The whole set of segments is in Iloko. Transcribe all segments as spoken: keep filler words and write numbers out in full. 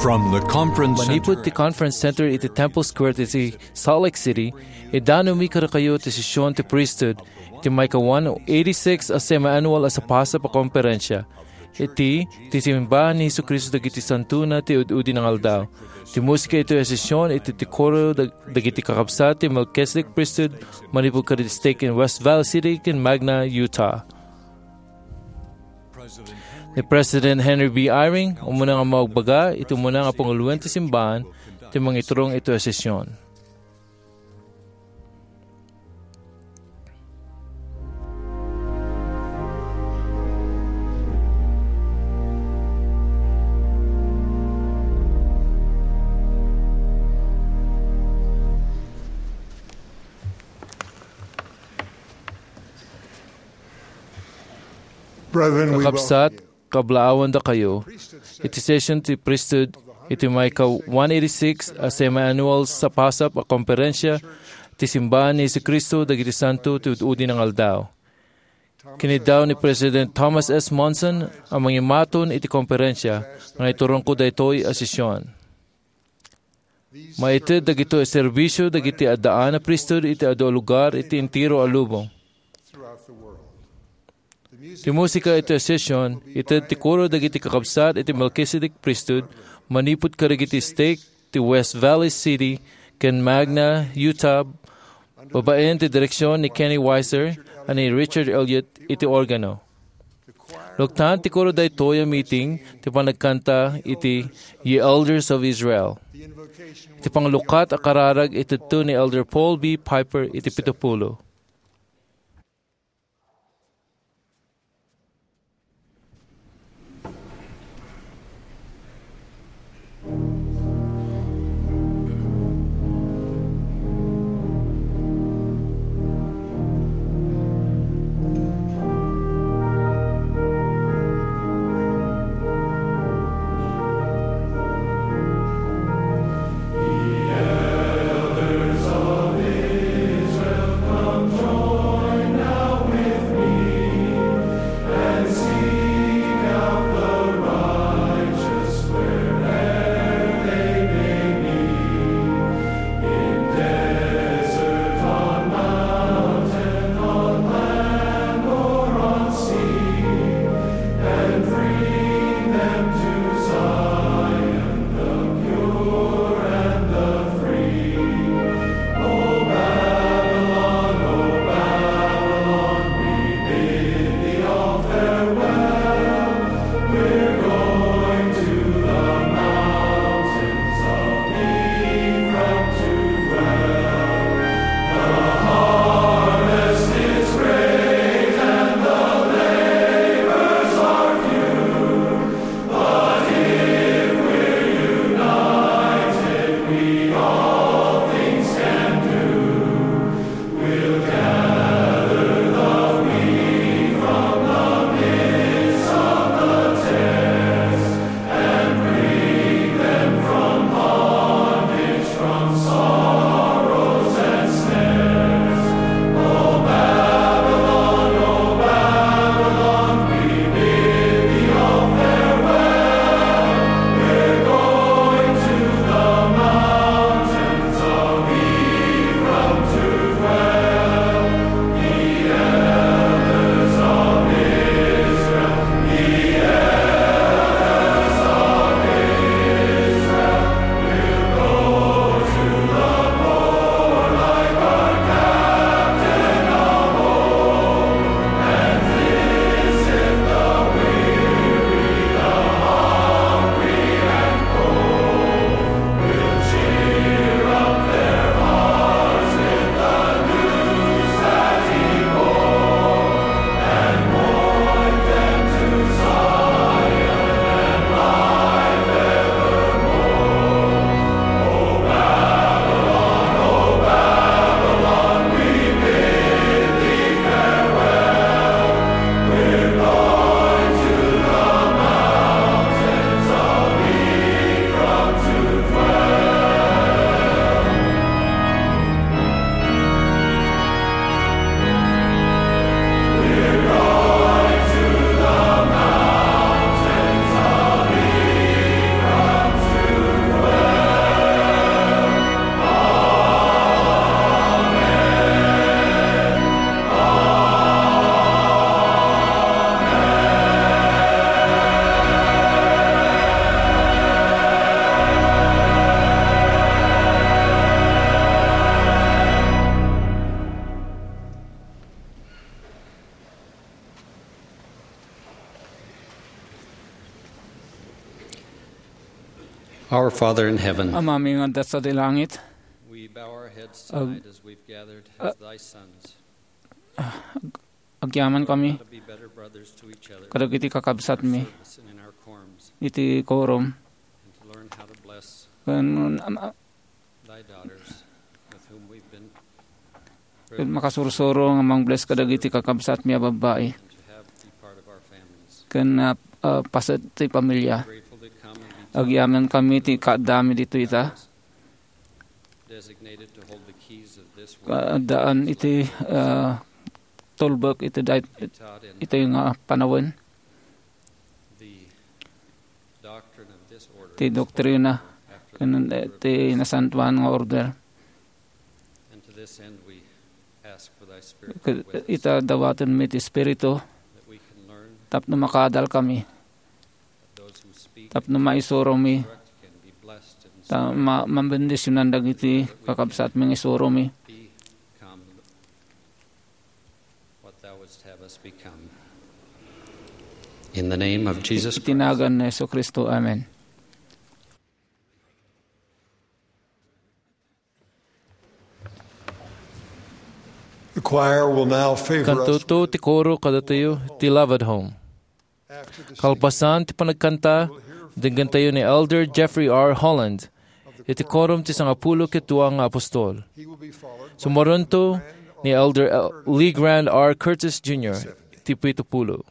From the conference Manipud center ti Conference Center iti Temple Square iti Salt Lake City, idanumi kadakayo ti sesion ti priesthood iti maika one eighty-six a semiannual a sapasap a komperensia. Iti, ti simbahan ni Jesu-Cristo dagiti santona ti ud-udi nga aldaw. Ti musika iti sesion iti ti koro dag-, dagiti kakabsat ti Melchizedek Priesthood manipud kadagiti stake in West Valley City ken Magna, Utah. Ni President Henry B. Eyring, umuna nga maagbaga iti umuna nga panguloen ti simbahan ti mangiturong iti sesion. Brethren, we Kakabsat, welcome you. Kablaawandakayo iti sesion ti priesthood iti maika one eighty-six a semiannual sapasap a komperensia ti Simbahan ni Jesu-Cristo dagiti Santo ti Ud-udi nga Aldaw. Kiniddaw ni President Thomas S. Monson a mangimaton iti komperensia nga iturongko daytoy a sesion. Maited dagitoy a serbisio dagiti addaan a priesthood iti adu a lugar iti entero a lubong. Ti musika iti sesion, ited ti koro dagiti kakabsat iti Melchizedek Priesthood manipud kadagiti stake ti West Valley City ken Magna, Utah, babaen ti direksion ni Kenny Weiser ken ni Richard Elliott iti organo. Luktan ti koro daytoy a meeting ti panagkanta iti Ye Elders of Israel. Ti panglukat a kararag itedto ni Elder Paul B. Piper iti pito pulo. Our Father in heaven, Amami nga adda sadi langit, we bow our heads tonight as we've gathered as thy sons. Agyaman kami To be better brothers to each other kadagiti kakabsatmi service and in our quorums, iti quorum. And to learn how to bless Ken, am-, thy daughters with whom we've been ken makasursuro nga mangbless kadagiti kakabsatmi a babbai. And to have be part of our families. Ken, ah, ah, paset ti pamilya. Grateful to come and be Agyaman kami ti kaaddami ditoy ita. Designated to hold the keys of this world. Kaaddaan iti, ah, tulbek iti day-, iti nga panawen. The doctrine of this order Ti is doktrina after the ken, eh, ti nasantuan nga order. And to this end, we ask for thy spirit Ke-, with us, ita dawatenmi ti Espiritu that we can learn, tapno makaadal kami, that those who speak tapno maisuromi, instruct can be blessed, and ta-, so ma-, mabendisionan dagiti kakabsatmi nga isuromi. Become what thou wouldst have us become. In the name of Jesus Christ. Iti nagan ni Jesu-Cristo. Amen. The choir will now favor us. Kantato ti koro kadatayo ti Love at Home. After the singing, Kalpasan ti panagkanta, denggen tayo ni Elder Jeffrey R. Holland iti Quorum ti Sangapulo ket Dua nga Apostol. He will be followed by Sumaruento ni Elder L-, Lee Grant R. Curtis Junior iti pitupulo.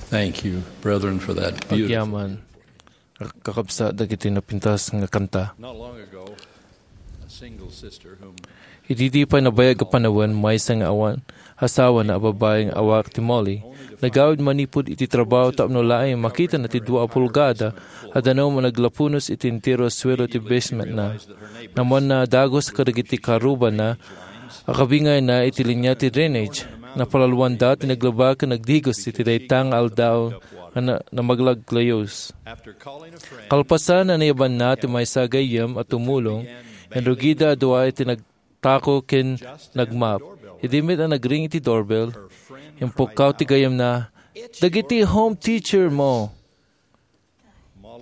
Thank you, brethren, for that beautiful. Agyaman, kakabsat, dagiti napintas nga kanta. Not long ago, a single sister whom Iti di pay nabayag a panawen, maysa nga awan asawana a babai nga awag ti Molly, nagawid manipud iti trabaho tapno laeng makitana ti dua a pulgada a danum a naglapunos iti entero a suelo ti basementna. Namanna a dagus kadagiti karrubana a kabingayna iti linia ti drainage. Napalaloanda ti naglaba ken nagdigos iti dayta nga aldaw nga na-, namaglaglayos. Kalpasan a nayabanna ti maysa a gayyem a tumulong, inrugida a dua iti nagtako ken nagmap. Idi met a nagring iti doorbell, impukkaw ti gayyemna, "Dagiti home teacher mo!"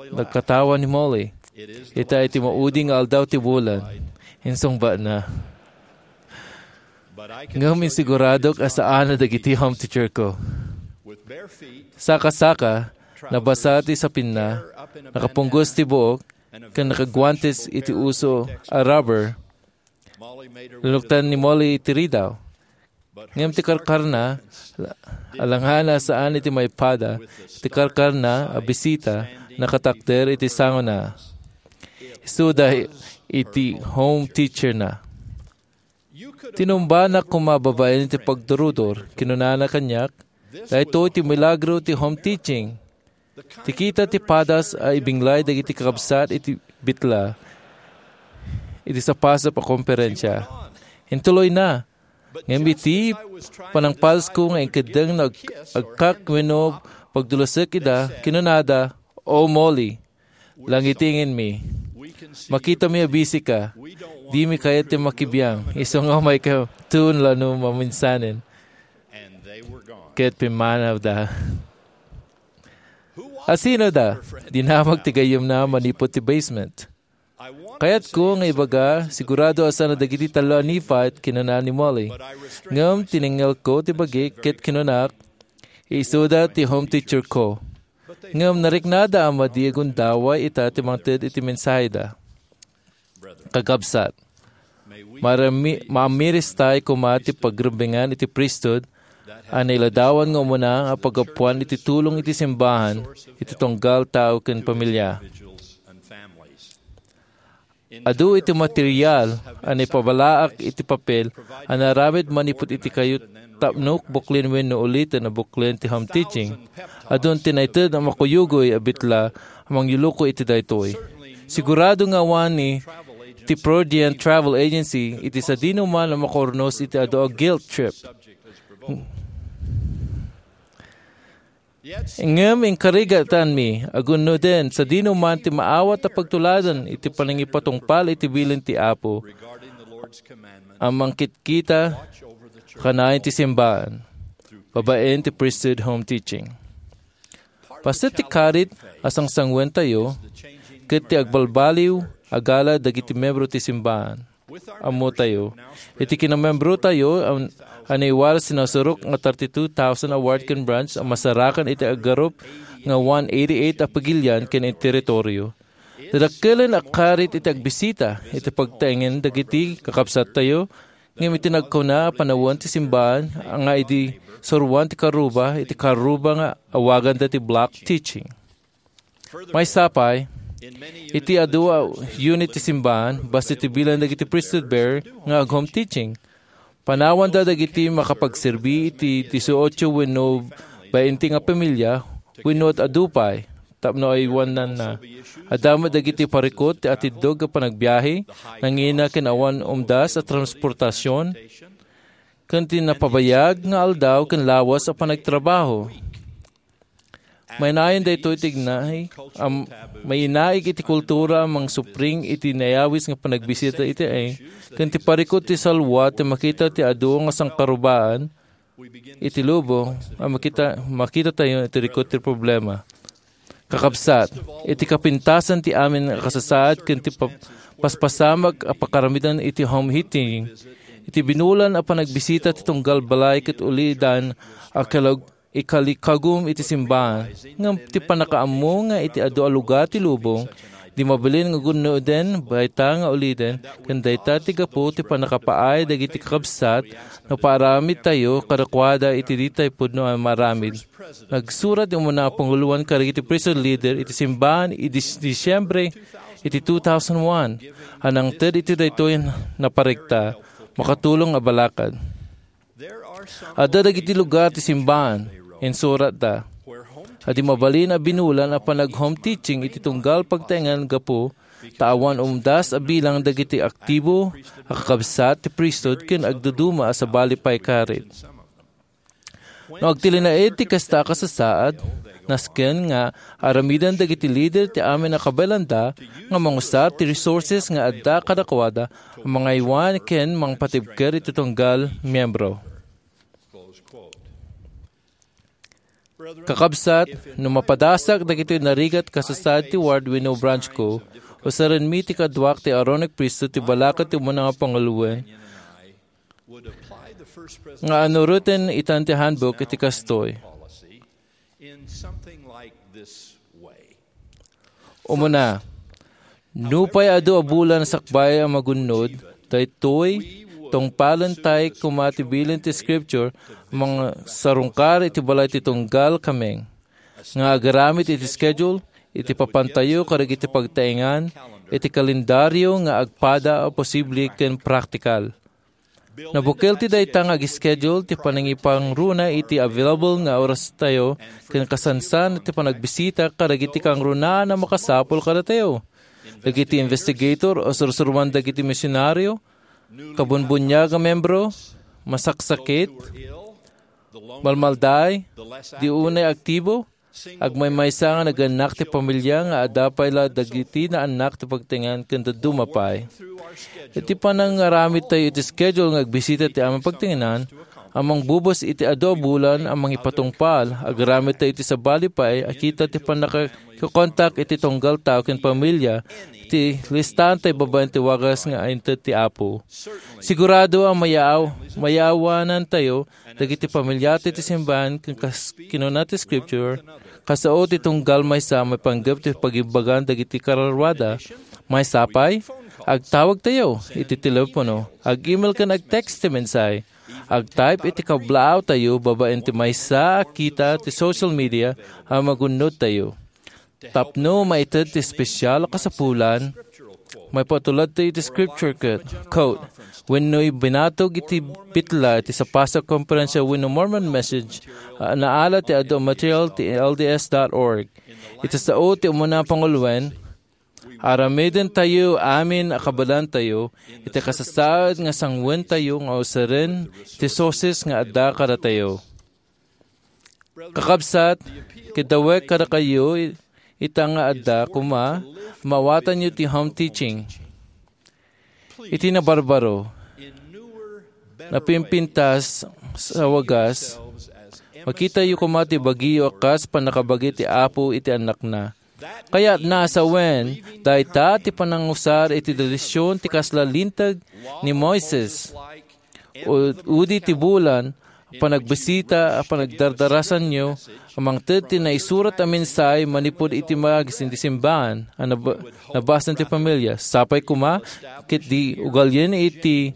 Nagkatawa ni Molly. "Ita iti maudi nga aldaw ti bulan," insungbatna. "Ngem insiguradok a saan a dagiti home teacher ko." Saka-saka, nabasa ti sapinna, nakapunggos ti buok, ken nakaguantes iti uso a rubber. Linuktan ni Molly ti ridaw. Ngem ti karkarna, alangan a saan iti maipada, ti karkarna a bisita nakatakder iti sangona. Isuda iti home teacher na. Tinumbanak koma babaen iti pagdurudor, kinunana kaniak, "Daytoy ti milagro ti home teaching." Ti kita ti padas a ibinglay dagiti kakabsat iti bitla iti sapasap a komperensia. Intuloyna. Ngem iti panangpalsko nga inkeddeng nga ag-, agkak wenno pagdulusek ida, kinunada, "O Molly, langitingenmi. Makitami a busy ka. Dimi kayat ti makibiang. Isu nga umayka tuon la no maminsanen." Ket pimmanawda. "A sino da?" dinamag ti gayyemna manipud ti basement. "Kayatko nga ibaga, sigurado a saan a dagiti tallo a Nephite," kinuna ni Molly. Ngem tinengngelko ti bagik ket kinunak, "Isuda ti home teacher ko." Ngem nariknada a madi a gundaway ita ti mangted iti mensaheda. Kakabsat, marami-, maamiristay koma ti pagrembengan iti priesthood a nailadawan nga umuna a paggapuan iti tulong iti simbahan iti tunggal tao ken pamilya. Adu iti material a naipabalaak iti papel a naaramid manipud iti kayup tapno buklen wenno uliten a buklen ti home teaching. Adun ti naited a makuyugoy a bitla a mangyuluko iti daytoy. Sigurado nga awan ni ti Prudent Travel Agency iti sadino man a makaurnos iti adu a guilt trip. Ngem inkarigatanmi a gunnoden sadino man ti maawat a pagtuladan iti panangipatungpal iti bilin ti Apo a mangkitkita kanayon ti simbaan, babaen ti priesthood home teaching. Paset ti karit a sangsangwentayo ket ti agbalbaliw a gala dagiti membro ti simbaan. Ammotayo, iti kinamembrotayo a, a naiwaras ti nasurok nga thirty-two thousand a ward ken branch a masarakan iti agarup nga one eighty-eight a pagilian ken iti teritorio. Dadakkelen a karit iti agbisita iti pagtaengen dagiti kakabsattayo, ngem iti nagkuna a panawen ti simbaan nga idi suruan ti karuba, iti karuba nga awaganda ti block teaching. Maysa pay, iti adu a unit ti simbaan, basta ti bilang dagiti priesthood bearer nga ag-home teaching. Panawanda dagiti makapagserbi iti dieciocho wenno bainte nga pamilya wenno adu pay tapno aywananna. Adda met dagiti parikut ti atiddog a panagbiahe, nangina ken awan umdas a transportasion, ken ti napabayag nga aldaw ken lawas a panagtrabaho. Mainayon daytoy ti ignaig, am-, mainaig iti kultura a mangsupring iti nayawis nga panagbisita iti ay, ken ti parikut ti salwa ti makita ti adu nga sangkarubaan iti lubong a makita, makitatayo iti rikut ti problema. Kakabsat, iti kapintasan ti amin a kasasaad ken ti pa-, paspasamak a pakaramidan iti home heating, iti binulan a panagbisita ti tunggal balay ket ulidan a kalag-, ikalikagum iti simbaan, ngem ti pannakaammo nga iti adu a lugar ti lubong, Di mabalin nga gunnoden, bayta nga uliden, ken dayta ti gapu ti pannakapaay dagiti kakabsat no paaramidtayo kadakuada iti ditay pudno a maaramid. Nagsurat ti umuna a panguloan kadagiti priesthood leader iti simbahan idi Disyembre iti two thousand one, a nangted iti daytoy naparegta, makatulong a balakad. Adda dagiti lugar ti simbahan, insuratda, a di mabalin a binulan a panag-home teaching iti tunggal pagtaengan gapu ta awan umdas a bilang dagiti aktibo a kakabsat ti priesthood ken agduduma a sabali pay karit. No agtilinaed ti kasta a kasasaad, nasken nga aramiden dagiti leader ti amin a kabaelanda nga mangusar ti resources nga adda kadakuada a mangaywan ken mangpatibker iti tunggal miyembro. Kakabsat, no mapadasak dagitoy narigat kasasaad ti ward wenno branch ko, usarenmi ti kaduak ti Aaronic Priesthood ti balakad ti umuna nga panguloen nga anuruten itan ti handbook iti kastoy. Umuna, nupay adu a bulan sakbay a magunnod, daytoy, tungpalentayo koma ti bilin ti Scripture, mangsarungkar iti balay ti tunggal kameng, nga agaramid iti schedule, iti papantayo kadagiti pagtaengan, iti kalendario nga agpada a posible ken praktikal. Nabukel ti dayta nga ag-schedule ti panangipangruna iti available nga orastayo ken kasansan ti panagbisita kadagiti kangrunaan a makasapul kadatayo. Dagiti investigator a sursuruan dagiti misionario, kabunbuniag a membro, masaksakit, malmaldaay, di unay aktibo, agmaymaysa nga nagannak ti pamilia nga adda pay la dagiti naannak ti pagtaengan ken dadduma pay. Iti panangaramidtayo iti schedule nga agbisita ti amin pagtaenganan, a mangbubus iti adu a bulan a mangipatungpal, agaramidtayo iti sabali pay a kita ti pannakakontak iti tunggal tao ken pamilia, iti listaantayo babaen ti wagas nga inted ti Apo. Sigurado a mayaaw-, mayaawanantayo dagiti pamiliatayo ti simbahan ken kas-, kinuna ti Scripture, kasao ti tunggal maysa a maipanggep ti pagibbagan dagiti kararuada. Maysa pay, agtawagtayo iti telepono, ag-email ken ag-text ti mensahe, ag-type iti kablaawtayo babaen ti maysa a kita ti social media a magunnodtayo. Tapno maited ti espesial a kasapulan, maipatuladtayo iti scripture ket, quote, wenno binatog iti bitla iti sapasok a konferensia wenno Mormon Message a naala ti adu a material ti L D S dot org. Iti sao ti umuna a panguloen, aramidentayo amin a kabaelantayo iti kasasaad nga sanguentayo nga usaren ti sources nga adda kadatayo. Kakabsat, kidawek kadakayo ita nga adda koma maawatanyo ti home teaching. Iti nabarbaro, napimpintas sa wagas, makitayo koma ti bagiyo a kas pannakabagi ti Apo iti Annakna. Kayatna a sawen, dayta ti panangusar iti tradision ti kasla linteg ni Moises. U-, udi ti bulan, panagbisita a panagdardarasanyo a mangted ti naisurat a mensahe manipud iti magisin ti simbahan a nab-, nabasaan ti pamilia. Sapay koma, ket di ugalien iti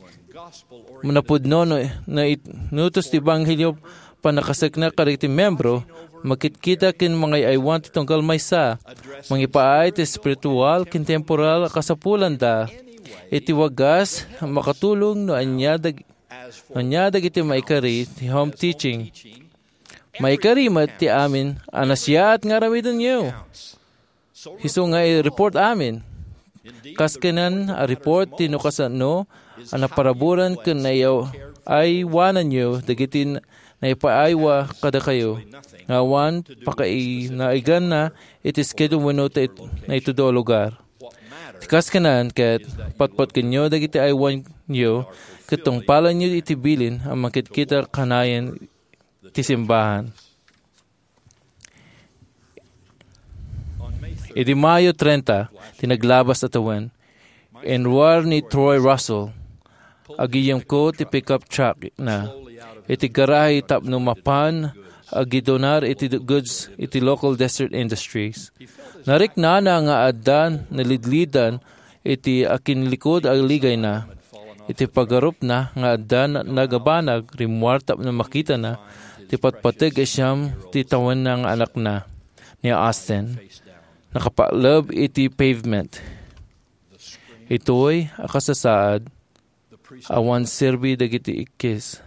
napudno no, no it-, nutos ti ebanghelio pannakasekna kadagiti membro, makitkita ken mangay-aywan ti tunggal maysa, mangipaay ti espiritual ken temporal a kasapulanda. Iti wagas, makatulong no ania dag-, ania dagiti maikari ti home teaching. Maikari met ti amin a nasayaat nga aramidenyo. Isu nga i-report amin. Kas kanian a report ti no kasano a naparaburan ken naiyaw-, aywananyo dagiti naipaaywa kadakayo nga awan pakainaganna iti schedule wenno ta it-, naitudo a lugar. Ti kas kanian ket patpatkenyo dagiti aywanyo ket tungpalanyo iti bilin a makitkita kanayon ti simbahan. Idi Mayo trenta, ti naglabas a tawen, inruar ni Troy Russell, agiyyemko ti pickup truck na iti garahe tapno mapan agidonar iti goods iti local Desert Industries. Nariknana nga adda nalidlidan iti akinlikud a ligayna. Iti pagarupna nga adda na-, nagabanag, rimmuar tapno makitana ti patpateg a siam ti tawenna nga anakna, ni Austin, nakapakleb iti pavement. Itoy a kasasaad, awan serbi dagiti ikkis,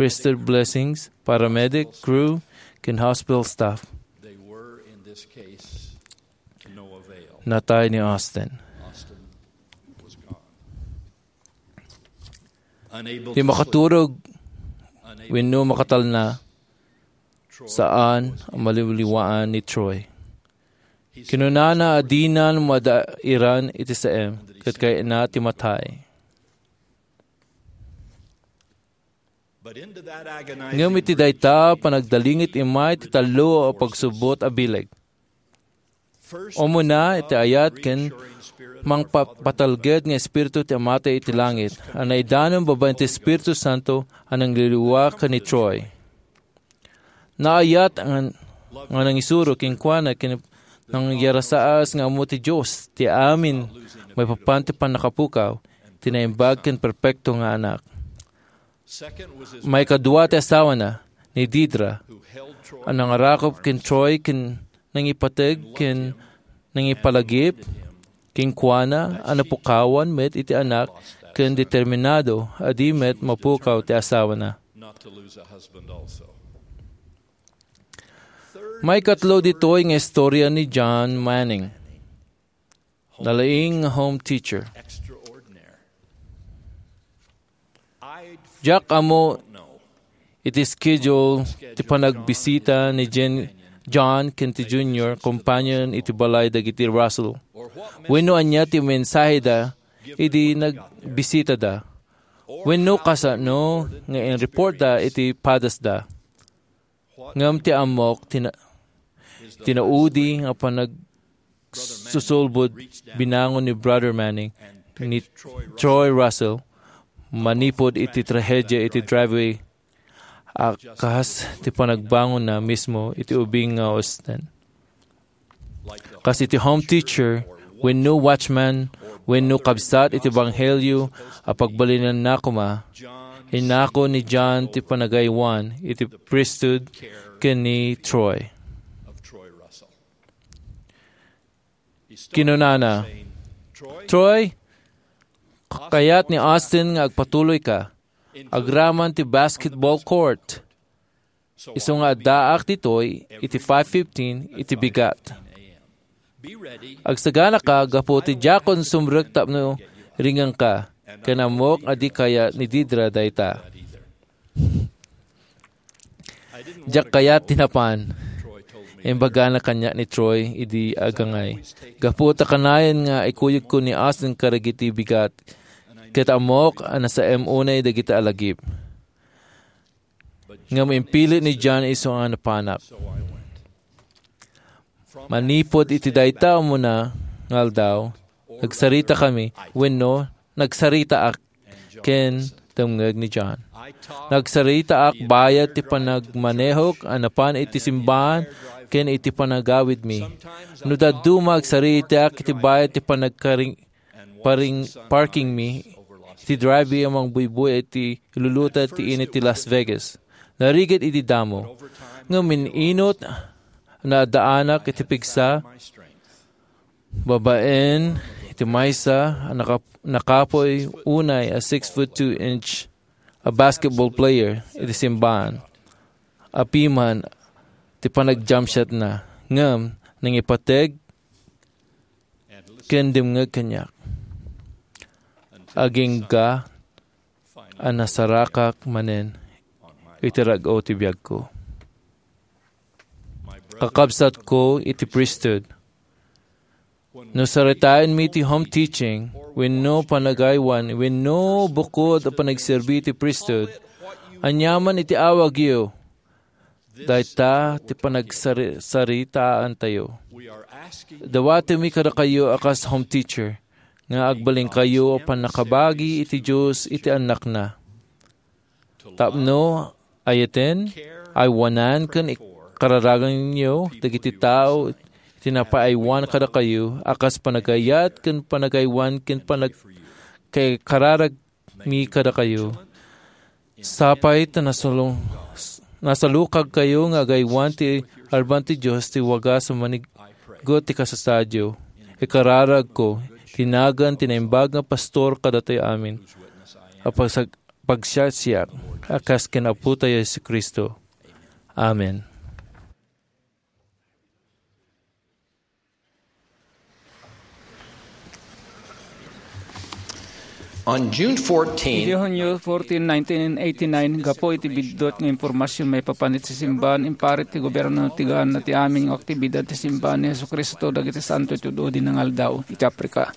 priesthood blessings, paramedic, crew, ken hospital staff. They were, in this case, no avail. Natay ni Austin. Austin was gone. Unable Di to makaturog sleep, unable wenno makatalna, saan a maliwliwaan ni Troy. Kinunana a dinan madairan iti saem, ket kayatna ti matay. Ngem iti dayta, panagdalingit immay ti tallo a pagsubbot a bileg. Umuna, iti ayat ken mangpapatalged nga Espiritu ti Amatay iti langit, a naidanon babaen ti Espiritu Santo a nangliliwa ken ni Troy. Naayat nga, nga nangisuro kenkuana ken nangyarasaas nga ammo ti Dios ti amin maipapan ti pannakapukaw, ti naimbag ken perpekto nga anak. Maikadua ti asawana, ni Deedra, a nangarakop ken Troy ken nangipateg ken nangipalagip kenkuana a napukawan met iti anak ken determinado a di met mapukaw ti asawana. Maikatlo ditoy nga istorya ni John Manning, nalaing nga home teacher. Diak ammo iti schedule ti panagbisita ni Jen-, John ken ti Junior, companion iti balay dagiti Russell, wenno ania ti mensaheda idi nagbisitada, wenno kasano nga in-reportda iti padasda. Ngem ti ammok, tina-, tinaudi nga panagsusulbod binangon ni Brother Manning ni Troy Russell manipud iti trahedia iti driveway a kas ti panagbangonna mismo iti ubing nga Austin. Kas iti home teacher, wenno watchman, wenno kabsat iti ebanghelio a pagbalinanna koma, inako ni John ti panagaywan iti priesthood ken ni Troy. Kinunana, "Troy, kayat ni Austin nga agpatuloyka agraman ti basketball court." Isu nga addaak ditoy iti five fifteen iti bigat. Agsaganaka gapu ti diakon sumrek tapno ringenka, ken ammok a di kayat ni Deedra dayta. Diak kayat ti napan, imbagana kaniak ni Troy idi agangay. Gapu ta kanayon nga ikuyogko ni Austin kadagiti bigat, ket ammok a nasaem unay dagiti alagip. Ngem impilit ni John isu nga napanak. Manipud iti dayta umuna nga aldaw, nagsaritakami, wenno nagsaritaak ken tumngeg ni John. Nagsaritaak bayat ti panagmanehok a napan iti simbahan ken iti panagawidmi. No dadduma, agsaritaak iti bayat ti panagkaring-, paring-, parkingmi iti driveway a mangbuybuy iti iluluta ti init ti Las Vegas. Narigat iti damo. Ngem min-inot, naadaanak iti pigsa, babaen iti maysa a nakap-, nakapuy unay a six foot two inch a basketball player iti simbahan. Apiman ti panag-jump shotna, ngem nangipateg ken dimngeg kaniak. Agingga a nasarakak manen iti rag-o ti biagko. Kakabsatko iti priesthood, no saritaenmi ti home teaching, wenno panagaywan, wenno bukod a panagserbi iti priesthood, aniaman iti awagyo, dayta ti panagsari-, saritaantayo. Dawatenmi kadakayo a kas home teacher nga agbalinkayo a pannakabagi iti Dios iti annakna. Tapno ayaten, aywanan ken ikararaganyo dagiti tao Ti napaaywan kadakayo a kas panagayat ken panagaywan ken panag-, kay kararagmi kadakayo. Sapay ta nasalung-, nasalukagkayo nga agaywan ti arban ti Dios ti wagas a maniggut ti kasasaadyo. Ikararagko, ti nagan ti naimbag nga pastor kadatayo amin, a pagsag-, pagsiasiak, a kas ken Apotayo Jesu-Cristo. Amen. On June fourteen, Idi Hunyo fourteen, nineteen eighty-nine, gapu iti biddut nga impormasion maipapan iti simbaan, imparit ti gobierno ti Ghana ti amin nga aktibidad ti simbaan ni Jesu-Cristo dagiti Santo iti ud-udi nga aldaw iti Africa.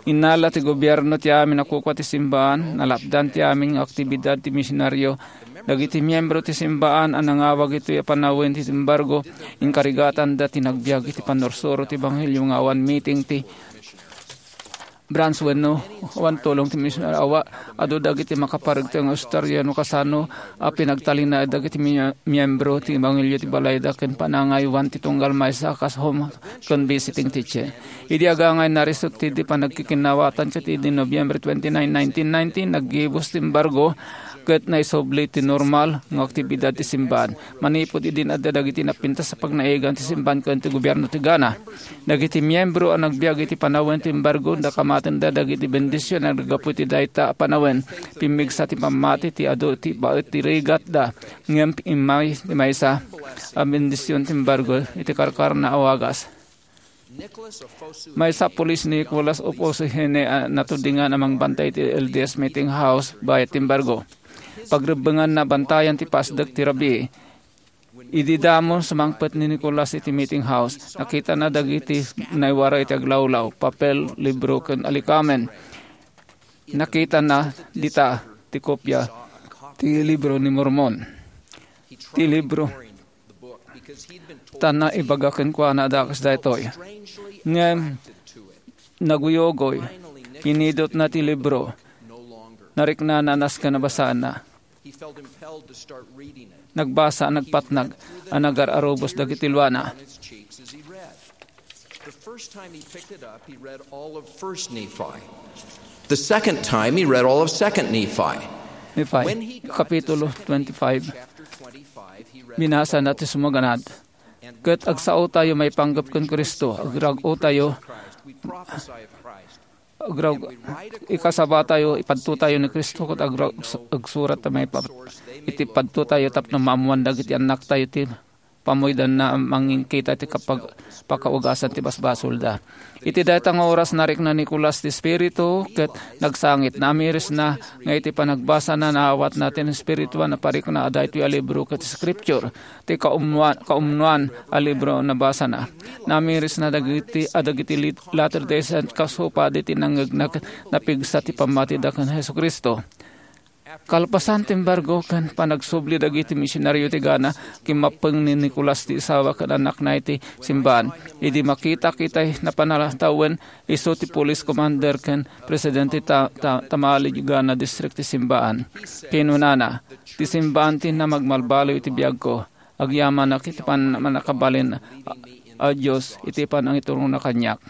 Innala ti gobierno ti amin a kukua ti simbaan, nalapdan ti amin nga aktibidad ti misionario. Dagiti miembro ti simbaan a nangawag itoy a panawen ti embargo, inkarigatanda ti nagbiag iti pannursuro ti ebanghelio nga awan meeting ti branch wenno awan tulong ti misionario. Awa, adu dagiti makaparegta nga istorya no kasano a pinagtalinaed dagiti mi-, miembro ti ebanghelio ti balayda ken panangaywan ti tunggal maysa a kas home ken visiting teacher. Idi agangay narisut ti di panagkikinaawatan ket idi Nobyembre twenty-nine, nineteen ninety, naggibus ti embargo ket naisubli ti normal nga aktibidad ti simbaan. Manipud idin adda dagiti napintas a pagnaegan ti simbaan ken ti gobierno ti Ghana. Dagiti miembro a nagbiag iti panawen ti embargo, nakamatenda dagiti bendision a naggapu iti dayta a panawen. Pimmigsa ti pammati ti adu ti baet ti rigatda, ngem immay ti maysa a bendision ti embargo iti karkarna a wagas. Maysa a pulis ni Nicolas Ofosu Hene a natudingan a mangbantay iti L D S meeting house bayat ti embargo. Pagrebbenganna bantayan ti pasdek ti rabii. Idi damo sumangpet ni Nicolas iti meeting house, nakitana dagiti naiwaray iti aglawlaw, papel, libro, ken alikamen. Nakitana dita ti kopia ti libro ni Mormon. Ti libro. Ta naibaga kenkuana a dakes daytoy. Ngem naguyogoy, pinidotna ti libro. Nariknana a nasken a basaenna. Nagbasa a nagpatnag a nagar-arubos dagiti luana. The first time he picked it up, he read all of First Nephi. The second time, he read all of Second Nephi. Nephi, When he got Kapitulo twenty-five, chapter twenty-five, he read binasa na ti sumaganad. Ket agsaotayo maipanggep ken Cristo, agrag-otayo, Christ. We prophesy of Christ. Agrag-, ikasabatayo, ipadtotayo ni Cristo, ket agrag-, agsurat ta maipa-, iti padtotayo tapno maammoan dagiti annaktayo ti pamuydanna a mangikita ti kapag-, pakaugasan ti basbasolda. Iti dayta nga oras, narikna ni Nicolas ti Espiritu ket nagsangit. Namirisna nga iti panagbasana, naawatna ti espirituan a parikna a daytoy a libro ket Scripture, ti kaumnuan, kaumnuan a libro a nabasana. Namirisna dagiti, a dagiti lit-, Latter-day Saint kas upadi ti nangngegna ket napigsa ti pammatida ken Jesu-Cristo. Kalpasan ti embargo ken panagsubli dagiti misionario ti Ghana, kimmappeng ni Nicolas ti asawa ken annakna iti simbaan. Idi makita-kita ti napanatawen, isu ti police commander ken presidente ta-, ta-, Tamale Ghana District ti simbaan. Kinunana, "Ti simbaan ti namagmalbaliw iti biagko. Agyamanak iti pan-, mannakabalin a, a Dios iti panangiturongna kaniak."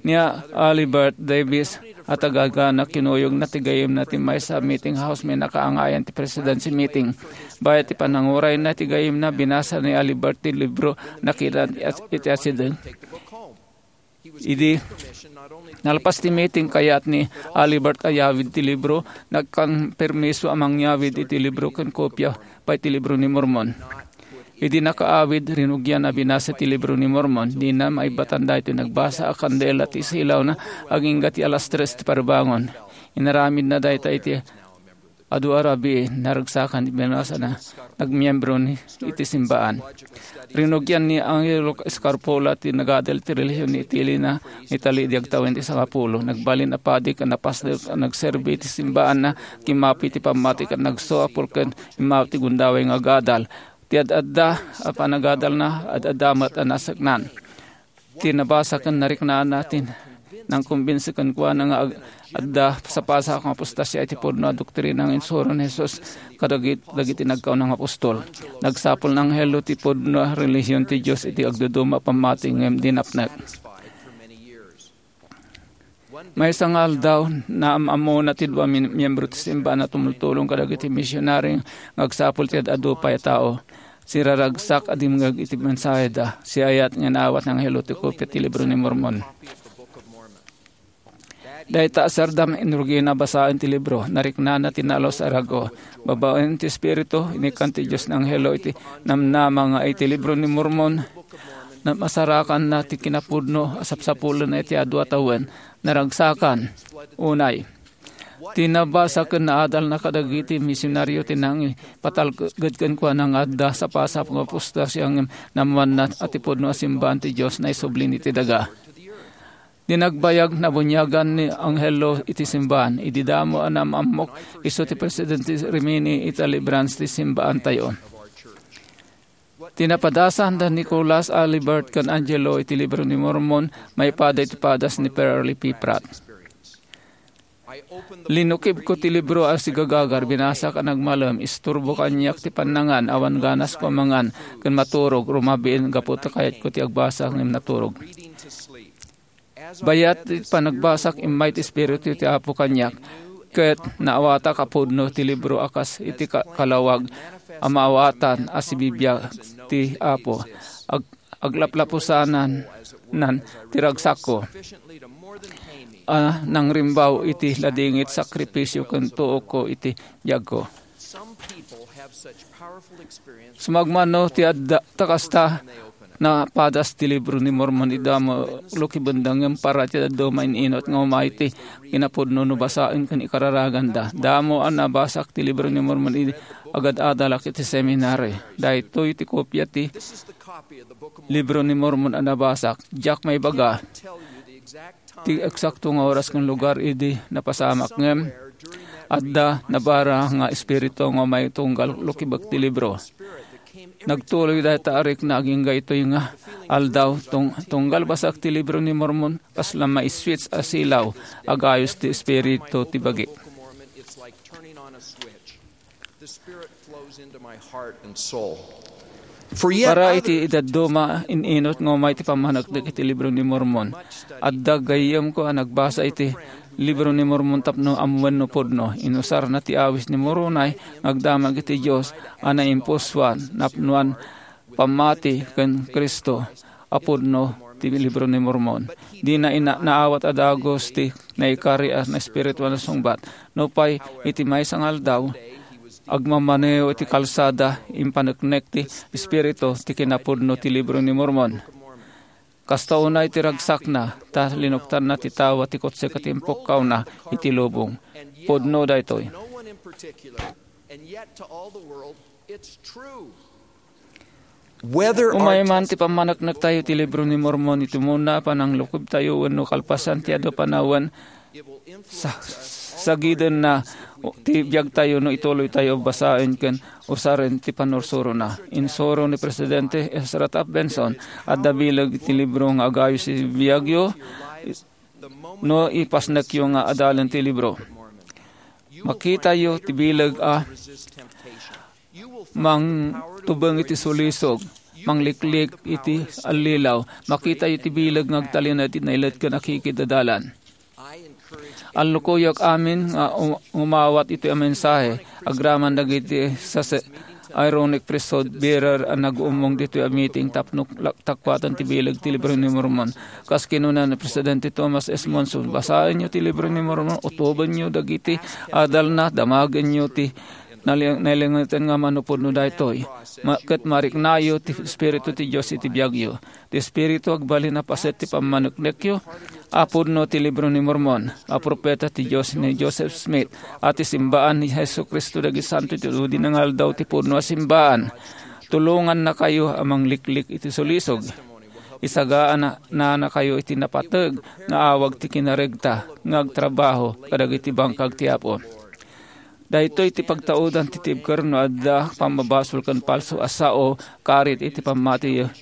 Ni Alibert Davis a taga-Ghana, kinuyogna ti gayyemna ti maysa a meeting house, mannakaangayan ti presidency meeting. Bayat ti panangurayna ti gayyemna, binasa ni Alibert ti libro, nakita iti asideng. Idi nalpas ti meeting, kayat ni Alibert a yawid ti libro, nagkan permiso a mangyawid iti libro ken kopia pay ti libro ni Mormon. Idi nakaawid, rinugian a binasa ti libro ni Mormon. Dina maibbatan daytoy nagbasa a kandela ti isilawna agingga ti alas tres ti parbangon. Inaramidna dayta iti adu a rabii, naragsakan ti binasana, nagmiembro ni iti simbaan. Rinugian ni Angelo Scarpola ti nagadal ti relihion ni itilina, nga itali idi agtawen ti sangapulo. Nagbalin a padi ken napasdek a nagserbi ti simbaanna, kimmapi ti pammati ken nagsuapol ken immawat ti gundaway nga agadal. Ti ad-adda a panagadalna, ad-adda met a naseknan. Ti nabasa ken nariknana ti Nangkumbinsi kenkuana nga ag-, adda sapasap nga apostasia iti pudno a doktrina nga insuro ni Jesus kadagit-, dagiti nagkauna nga apostol. Nagsapul nga anghelo ti pudno a relihion ti Dios iti agduduma a pammati ngem di napnek. Maysa nga aldaw, naam-ammona ti dua min-, miyembro ti simbahan a tumultulong kadagiti misionari nga agsapul ti ad-adu pay a tao. Siraragsak a dimngeg iti mensaheda. Siayat nga naawat nga anghelo ti kopia ti Libro ni Mormon. Dayta a sardam, inrugina basaen ti libro. Nariknana ti nalus a rag-o. Babaen ti Espiritu, inikkan ti Dios nga anghelo iti namnama nga iti Libro ni Mormon, na masarakanna ti kinapudno a sapsapulenna iti adu a tawen. Naragsakan. Unay, ti nabasa ken naadalna kadagiti misionaryo ti nangipatalged kenkuana nga adda sapasap nga apostasia ngem naammoanna a ti pudno a simbahan ti Dios naisublin iti daga. Di nagbayag, nabuniagan ni anghelo iti simbahan. Idi damo a naam-ammok, isu ti presidente ti Rimini ita Libertad ti simbaantayo. Ti napadasan da Nicholas Alibert ken Angelo iti Libro ni Mormon maipada iti padas ni Perle P. Pratt. Linukibko ti libro a sigagagar, binasak a nagmalem, isturbo kaniak ti pannangan, awan ganasko a mangan ken maturog, rumabiin gapu ta kayatko ti agbasa ngem naturog. Bayat ti panagbasak, immay ti Espiritu ti Apo kaniak, ket naawatak a pudno ti libro a kas iti ka-, kalawag a maawatan a sibibiag ti Apo. Ag-, aglaplapusanan nan ti ragsakko a nangrimbaw iti ladingit, sakrifisio ken tuokko iti biagko. Sumagmamano ti adda ta kasta napadas ti Libro ni Mormon ida mo lukibenda, ngem para ti dadduma in-inut nga umay ti kinapudno no basaen ken ikararaganda. Damo a nabasak ti Libro ni Mormon idi agad-adalak iti seminary. Daytoy ti kopia ti Libro ni Mormon a nabasak. Diak maibaga ti eksakto nga oras ken lugar idi napasamak, ngem adda nabara nga espiritu nga umay tunggal lukibek ti libro. Nagtuloy dayta a rikna agingga itoy nga aldaw, tung-, tunggal basak ti Libro ni Mormon, kasla maiswitch a silaw, agayos ti espiritu ti bagi. The Spirit flows into my heart and soul. For yet Para iti idadduma, in-inut nga umay ti pammaneknek iti Libro ni Mormon. Adda gayyemko a nagbasa iti Libro ni Mormon tapno ammoen no pudno. Inusarna ti awis ni Moroni nga agdamag iti Dios a naimpusoan, napnoan pammati ken Cristo a pudno ti Libro ni Mormon. Dina ina-, naawat a dagus ti naikari a naespirituan a sungbat. Nupay iti maysa nga aldaw, agmammanew iti kalsada, impaneknek ti Espiritu ti kinapudno ti Libro ni Mormon. Kasta unay ti ragsakna, ta linuktanna ti tawa ti kotse ket impukkawna iti lubong. Pudno daytoy. Umay man ti pammaneknektayo ti Libro ni Mormon, iti umuna a pananglukibtayo wenno kalpasan ti adu a panawen, sa-, sagidenna ti biagtayo no ituloytayo basaen ken usaren ti pannursurona. Insuro ni Presidente Ezra Taft Benson, adda bileg ti libro nga agayos iti biagyo no ipasnekyo nga adalen ti libro. Makitayo ti bileg a mangtubeng iti sulisog, mangliklik iti allilaw. Makitayo ti bileg nga agtalinaed iti nailet ken akikid a dalan. Allukoyak amin nga um-, umawat iti mensahe agraman dagiti sase-, Aaronic priesthood bearer a nag-ummong ditoy a meeting tapno la-, takuaten ti bileg ti Libro ni Mormon. Kas kinuna ni Presidente Thomas S. Monson, "Basaenyo ti Libro ni Mormon, utobenyo dagiti adalna, damagenyo ti nali-, nalingeten nga manupudno daytoy. Ma-, ket mariknayo ti Espiritu ti Dios iti biagyo." Ti Espiritu agbalin a paset ti pammaneknekyo a pudno ti Libro ni Mormon, a propeta ti Dios ni Joseph Smith, a ti simbaan ni Jesu-Cristo dagiti Santo iti adu a dinangaldaw ti pudno a simbaan. Tulongannakayo a mangliklik iti sulisog. Isagaananakayo iti napateg nga awag ti kinaregta nga agtrabaho kadagiti bangkag ti Apo. Daytoy ti pagtaudan ti tibker no adda pammabasol ken palso a sao karit iti pammatiyo,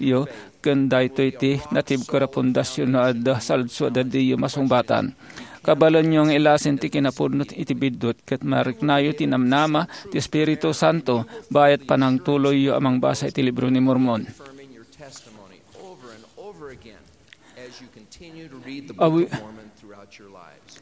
ken daytoy ti natibker a pundasyon no adda saludso a diyo masungbatan. Kabaelanyo nga ilasin ti kinapudno iti biddut ket mariknayo ti namnama ti Espiritu Santo bayat panangtuloyyo a mangbasa iti Libro ni Mormon. Affirming your testimony over and over again as you continue to read the Book Awi- of Mormon throughout your lives.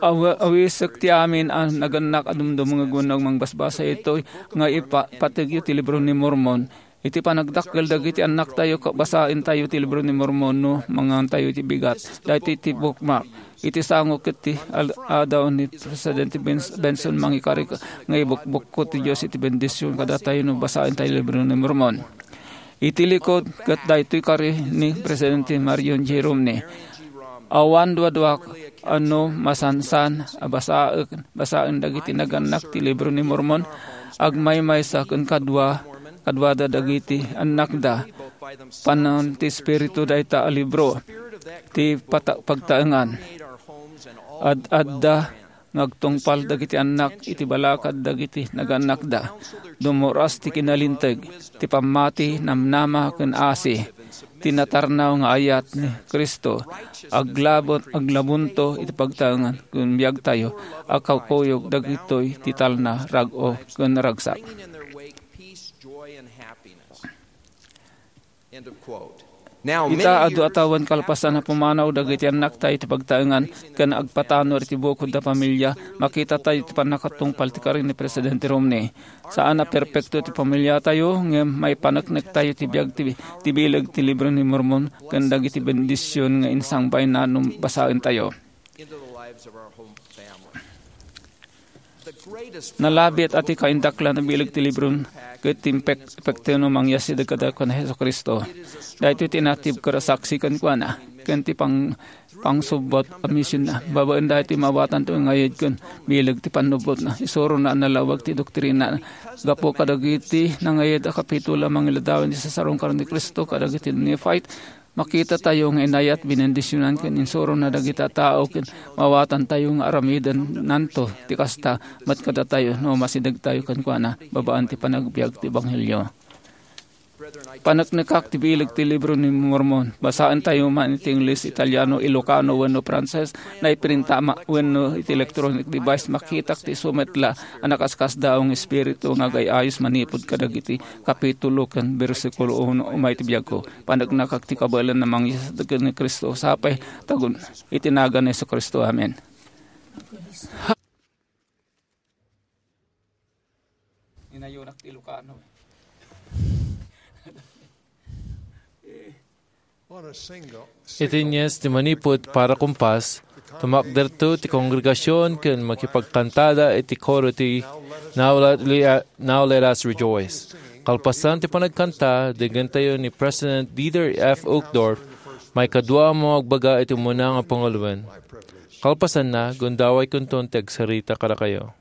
Awa-, awisek ti amin a nagannak a dumdumngeg wenno mangbasbasa itoy nga ipa-, pategyo ti Libro ni Mormon. Iti panagdakkel dagiti annaktayo, ka-, basaentayo ti Libro ni Mormon no mangantayo iti bigat. Daytoy ti bookmark. Iti sango ket ti al-, adaw ni Presidente Bens-, Benson mangikari ka-, nga ibukbukko ti Dios iti bendision kadatayo no basaentayo ti Libro ni Mormon. Iti likod ket daytoy kari ni Presidente Marion J. Romney. Awan duaduak a no masansan a basaek, basaen dagiti nagannak ti Libro ni Mormon, agmaymaysa ken kadua, kaduada dagiti annakda. Panan ti Espiritu dayta a libro, ti pata-, pagtaengan. Ad-adda nga agtungpal dagiti annak iti balakad dagiti nagannakda. Dummuras ti kinalinteg, ti pammati, namnama, ken asi. Ti natarnaw nga ayat ni Cristo, aglabon-, aglabonto iti pagtaengan ken biagtayo a kakuyog dagitoy ti talna, rag-o, ken ragsak. Bringing in their wake peace, joy, and happiness. End of quote. Now, ita many adu years a tawen kalpasan a pumanaw dagiti annaktayo iti pagtaengan ken agpatanor iti bukod a pamilia, makitatayo ti pannakatungpal ti kari ni Presidente Romney. Saan a perpekto ti pamiliatayo, ngem maipaneknektayo ti biag ti, ti bileg ti Libro ni Mormon ken dagiti bendision nga insangbayna no basaentayo. Into the lives of our home family. Nalabiat a ti kaindaklan a bileg ti libron ket ti impek-, epekto no mangyasidag kadakuada ni Jesu-Cristo. Daytoy ti natibker a saksi kenkuana, ken ti pang-, pangsubbot a misionna. Babaen daytoy, maawatanto nga ayat ken bileg ti pannubbotna. Isurona a nalawag ti doktrina gapu kadagiti nangayat a kapitulo a mangiladawan ti sasaronkaron ni Cristo kadagiti Nephite. Makitatayo nga inayat, binendisionan, ken insurona dagiti a tao, ken maawatantayo nga aramidennanto ti kasta met kadatayo no masidegtayo kenkuana babaen ti panagbiag ti ebanghelio. Paneknekak ti bileg ti Libro ni Mormon. Basaentayo man iti Ingles, Italiano, Ilocano, wenno Frances, naiprinta ma-, wenno iti electronic device. Makitak ti isu met la a nakaskasdaaw nga espiritu nga agay-ayos manipud kadagiti kapitulo ken bersikulo uno. Umay ti biagko. Paneknekak ti kabaelan a mangyasat ken ni Cristo. Sapay tagun iti nagan ni Jesu-Cristo. Amen. Inayonak ti Ilocano. Iti nies ti manipud para kumpas, tumakderto ti kongregasion ken makipagkantada iti koro ti Now Let, Now Let Us Rejoice. Kalpasan ti panagkanta, dengngentayo ni President Dieter F. Uchtdorf, maikadua a mangagbaga iti umuna nga panguloen. Kalpasanna, gundawaykonton ti agsarita kadakayo.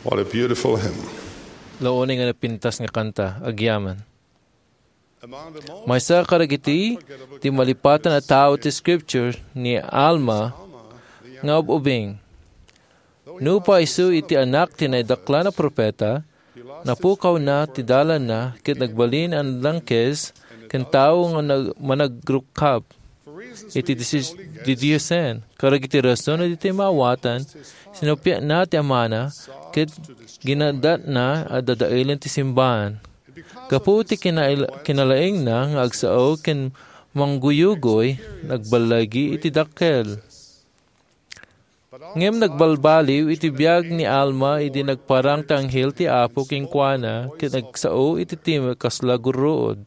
What a beautiful hymn. Launay nga napintas nga kanta, agyaman. Maysa kadagiti di malipaten a tao ti Scripture ni Alma nga ub-ubing. Nupay isu iti anak ti naidaklan a propeta, napukawna ti dalanna ket nagbalin a nadangkes ken tao nga nag-, managrukkab iti disis-, didiosen. Kadagiti rason a ditoy maawatan, sinuppiatna ti amana ket ginadatna a dadaelen ti simbaan. Gapu ti kinail-, kinalaingna nga agsao ken mangguyugoy, nagballigi iti dakkel. Ngem nagbalbaliw iti biag ni Alma idi nagparang ti anghel ti Apo kenkuana ket nagsao iti timek kasla gurruod.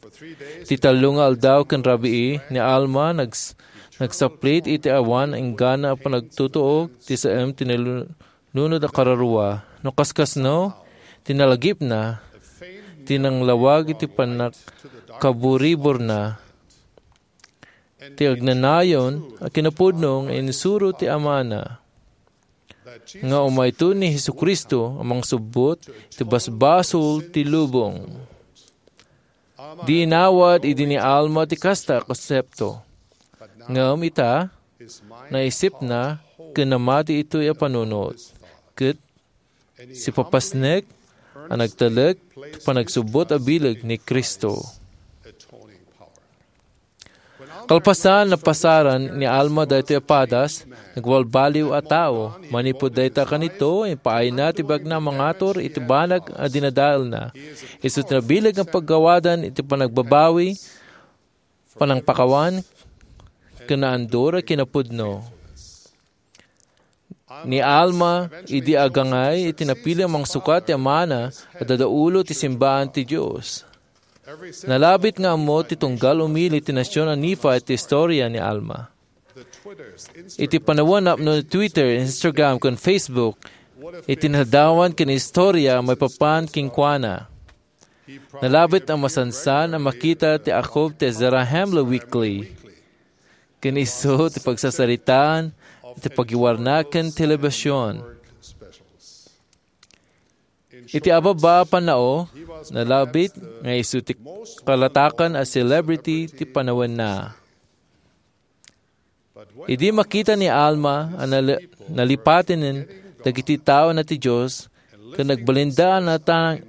Iti tallo nga aldaw ken rabii ni Alma nags-, nagsaplit iti awan inggana a panagtutuok ti saem ti nalunod a kararua. No kaskasno, ti nalagipna, ti nanglawag iti pannakaburiborna, ti agnanayon a kinapudno nga insuro ti amana, nga umayto ni Jesu-Cristo a mangsubbot ti basbasol ti lubong. Di inawat idi ni Alma ti kasta a konsepto. Ngem ita, naisipna ken namati itoy a panunot, ket sipapasnek a nagtalek ti panagsubbot a bileg ni Cristo. Kalpasan, napasaran ni Alma daytoy a padas, nagbalbaliw a tao. Manipud dayta kanito, impaayna ti biagna a mangatur iti banag a dinadaelna. Isu ti nabileg nga paggawadan iti panagbabawi, panangpakawan, ken naandur a kinapudno. Ni Alma idi agangay iti napili a mangsukat ti amana a dadaulo ti simbaan ti Dios. Nalabit nga ammo ti tunggal umili ti nasion a Nephi ti istorya ni Alma. Iti panawen napno ni Twitter, Instagram, ken Facebook, iti nadawan ken istorya maipapan kenkuana. Nalabit a masansan a makita ti akob ti Zarahemla Weekly. Ken isu ti pagsasaritaan iti pagiwarna ken telebision. Iti ababa a pannao, nalabit nga isu ti kalatakan a celebrity ti panawenna. Idi makita ni Alma a nali-, nalipatenen dagiti taona ti Dios ken nagbalinda a natang-,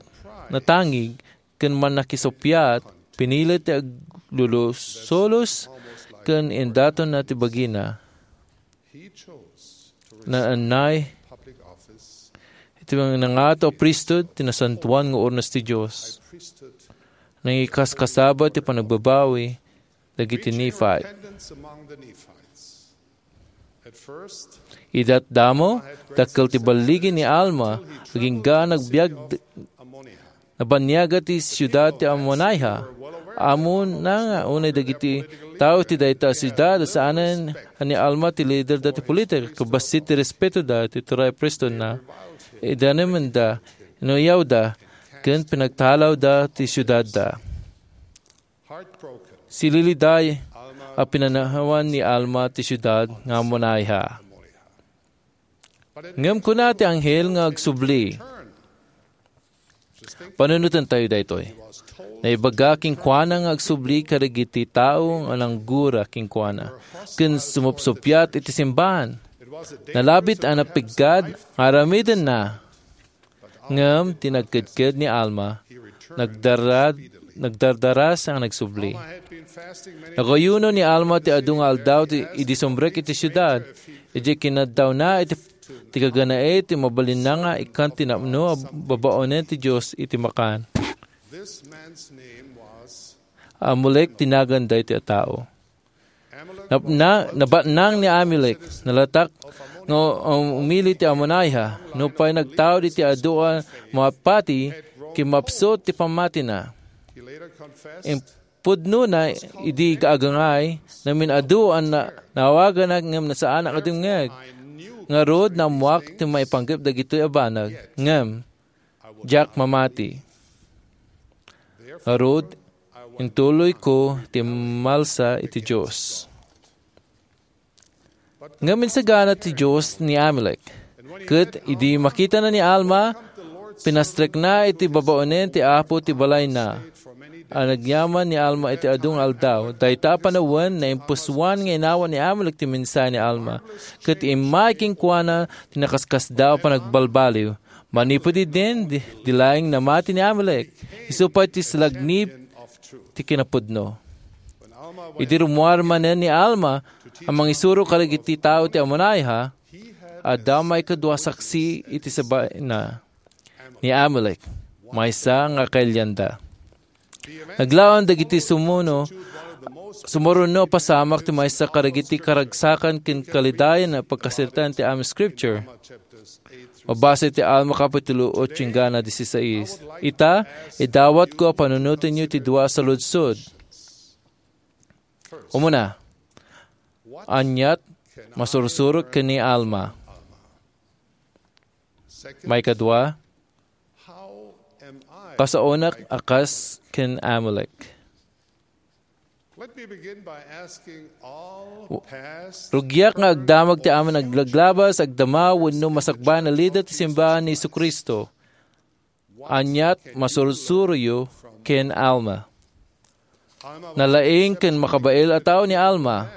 natangig ken mannakisuppiat, pinilit ti aglulusolos ken indatonna ti bagina. Naannay iti mga nangato a priesthood ti nasantoan nga urnos ti Dios. Nangikaskasaba ti panagbabawi dagiti Nephi. Idatdamo, dakkel ti balligi ni Alma, agingga nagbiag d-, nabaniaga ti siudad ti Ammonihah. Ammona nga unay dagiti tao ti dayta a siudad, saanen a ni Alma ti lider da ti politika, ket bassit ti respetoda ti turay a priesthoodna. Idanemenda, inuyawda, ken pinagtalawda ti siudadda. Sililiday a pinanawan ni Alma ti siudad nga Ammonihah. Ngem kuna ti anghel nga agsubli. Panunotentayo daytoy. Naibaga kenkuana nga agsubli kadagiti tao nga nanggura kenkuana ken sumupsuppiat iti simbaan. Nalabit a napiggad nga aramidenna. Ngem ti nagkedked ni Alma, nagdarad-, nagdardaras a nagsubli. Nagayuno ni Alma ti adu nga aldaw ti, idi sumrek iti siudad. Idiay kinaddawna iti, ti gaganae ti mabalinna nga ikkan ti napno a babaonen ti Dios iti makan. Amulek ti nagan daytoy a tao. Napna-, nabatnang ni Amulek, nalatak nga um-, umili ti Ammonihah, nupay nagtaud iti adu a mapati, kimmapsut ti pammatina. Impudnona idi agangay, namin-adu a na-, nawagana ngem nasaanak a dumngeg. Ngarud, naammoak ti maipanggep dagitoy a banag, ngem diak mamati. Ngarud, intuloyko ti malsa iti Dios. Ngem insagana ti Dios ni Amulek. Ket idi makitana ni Alma, Pinastrekna iti babaonen ti Apo ti balayna. Anagyaman ni Alma iti adu nga aldaw. Dayta a panawen, naimpusuan nga inawan ni Amalek ti mensahe ni Alma, ket immay kenkuana ti nakaskasdaaw a panagbalbaliw. Manipud idin, di, di laeng namati ni Amalek. Isu pay ti salagni ti kinapudno. Idi rummuar manen ni Alma a mangisuro kadagiti tao ti Ammonihah, adda maikadua saksi iti sabina, ni Amalek, maysa nga kailianda. Naglaom dagiti sumuno, sumurono a pasamak ti maysa kadagiti karagsakan ken kalidayan a pagkasirtaan ti Amoy Scripture. Mabasa iti Alma Kapitulo otso, inggana disisais. Ita, idawatko a panunotenyo ti dua a saludsod. Umuna, aniat masursurok ken ni Alma? Maikadua, kasaonak a kas ken Amalek? Let me begin by asking all past, rugiak nga agdamag ti amin a naglaglabas, agdama, wenno masakbayan a lider ti simbahan ni Jesu-Cristo. Aniat masursuroyo ken Alma? Nalaing ken makabael a tao ni Alma.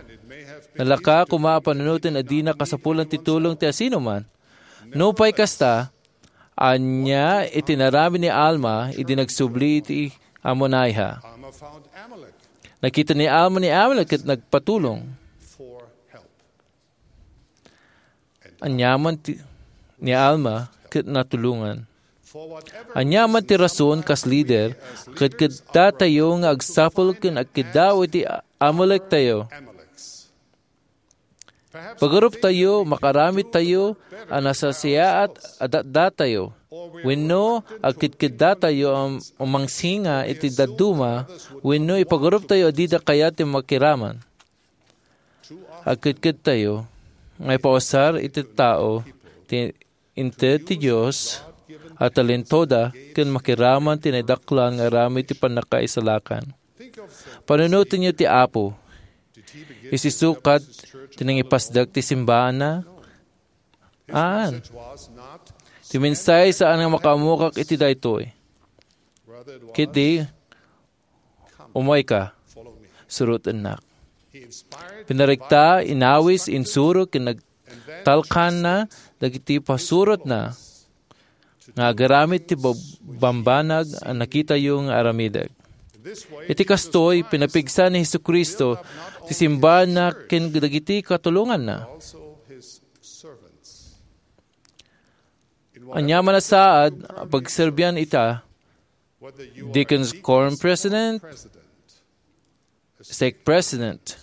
Nalaka koma a panunoten a dina kasapulan ti tulong ti asinoman. Nupay kasta, ania iti naramid ni Alma idi nagsubli iti Ammonihah? Nakita ni Alma ni Amalek ket nagpatulong. Aniaman ti, ni Alma ket natulongan. Aniaman ti rason, kas lider, kedkeddatayo nga agsapul ken agkiddaw iti Amalektayo. Pagaruptayo, makaaramidtayo a nasasiaat a datdatayo, wenno agkedkeddatayo a umangsinga iti dadduma, wenno ipagaruptayo a dida kayat ti makiraman. Agkedkedtayo nga ipausar iti tao ti inted ti Dios a talentoda ken makiraman ti naidaklan nga aramid ti pannakaisalakan. Panunotenyo ti Apo. Isisukat ti nangipasdek ti simbahanna? Aan. Ti mensahe saan nga makaammoak iti daytoy. Ketdi, "Umayka, surotennak." Pinaregta, inawis, insuro, ken nagtalkanna dagiti pasurotna nga agaramid ti bab-, bambanag a nakitayo nga aramidek. Iti kastoy, pinapigsa ni Jesu-Cristo ti simbahanna ken dagiti katulonganna. Aniaman a saad a pagserbian ita, Deacons Quorum President, Stake President,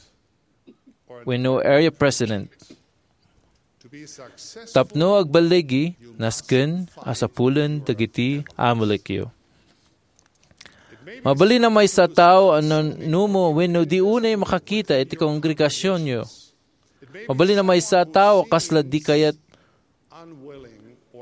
wenno Area President. Tapno agballigi, nasken a sapulen dagiti Amalekyo. Mabalin a maysa a tao a nanumo wenno di unay makakita iti kongregasionyo. Mabalin a maysa a tao a kasla di kayat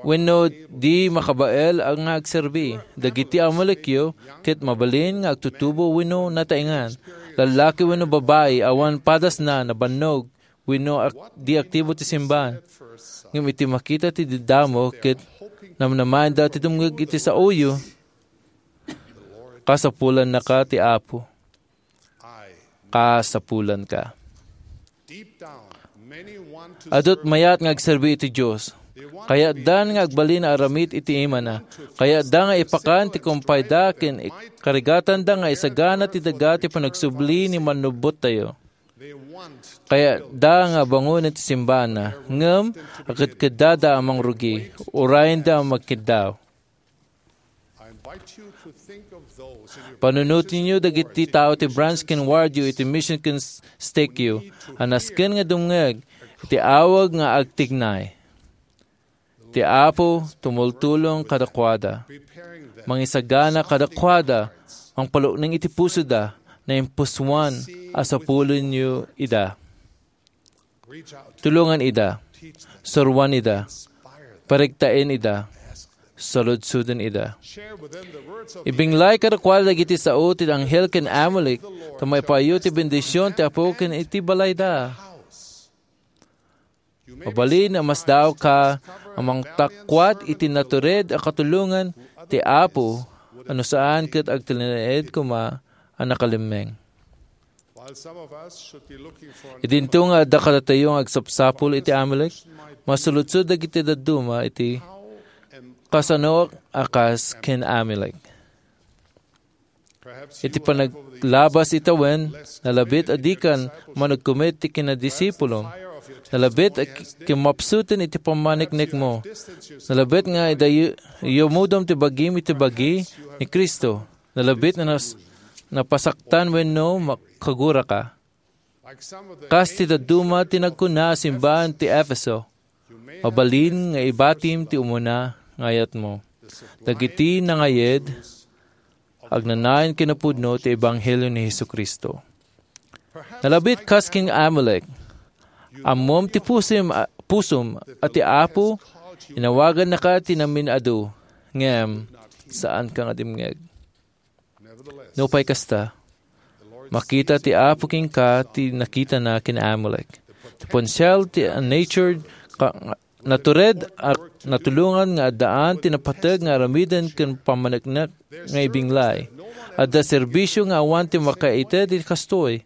wenno di makabael a nga agserbi. Dagiti Amalekyo ket mabalin nga agtutubo wenno nataengan, lallaki wenno babai, awan padasna, nabannog, wenno ak-, di aktibo ti simbahan. Ngem iti makita ti daddamo ket namnamaenda ti dumngeg iti saoyo, kasapulannaka ti Apo. Kasapulanka. Adut mayat nga agserbi iti Dios. Kayatdan nga agbalin a aramid iti imana. Kayatda nga ipakan ti kumpayda ken ik-, karigatanda nga isagana ti daga ti panagsubli ni Mannubottayo. Kayatda nga abangonen ti simbahanna, ngem akedkeddada a mangrugi, urayenda a magkiddaw. Panunotenyo dagiti tao ti branch ken wardyo iti mission ken s-, stakeyo a nasken nga dumngeg iti awag nga agtignay. Ti Apo tumultulong kadakuada, mangisagana kadakuada, mangpalukneng iti pusoda, naimpusuan a sapulenyo ida. Tulongan ida, suroan ida, paregtaen ida, saludsoden ida. Ibinglay kadakuada dagiti sao ti anghel ken Amalek, ta maipayo ti bendision ti Apo ken iti balayda. Mabalin a masdaawka a mangtakuat iti natured a katulongan ti Apo a no saan ket agtalinaed koma a nakalemmeng. Idinto nga adda kadatayo nga agsapsapul iti Amalek, masuludsod dagiti dadduma iti kasanoak a kas ken Amalek. Iti panaglabas itawen, nalabit a dikan managkumet ti kinadisipulom. Nalabit a ki-, kimmapsuten iti pammaneknekmo. Nalabit nga idayu-, iyumudom ti bagim iti bagi ni Cristo. Nalabit nga nas-, napasaktan wenno makaguraka. Kas ti dadduma ti nagkuna a simbahan ti Efeso, mabalin nga ibatim ti umuna nga ayatmo. Dagiti nangayed, agnanayon kinapudno ti ebanghelio ni Jesu-Cristo. Nalabit kas ken Amalek, ammom ti pusim a, pusom a ti Apo, inawagannaka ti namin-adu, ngem saanka nga dimngeg. Nupay kasta, makita ti Apo kenka ti nakitana ken Amalek. Ti potensial ti natured ka-, natured a natulongan nga addaan ti napateg nga aramiden ken pammaneknek nga ibinglay. Adda serbisio nga awan ti makaited iti kastoy.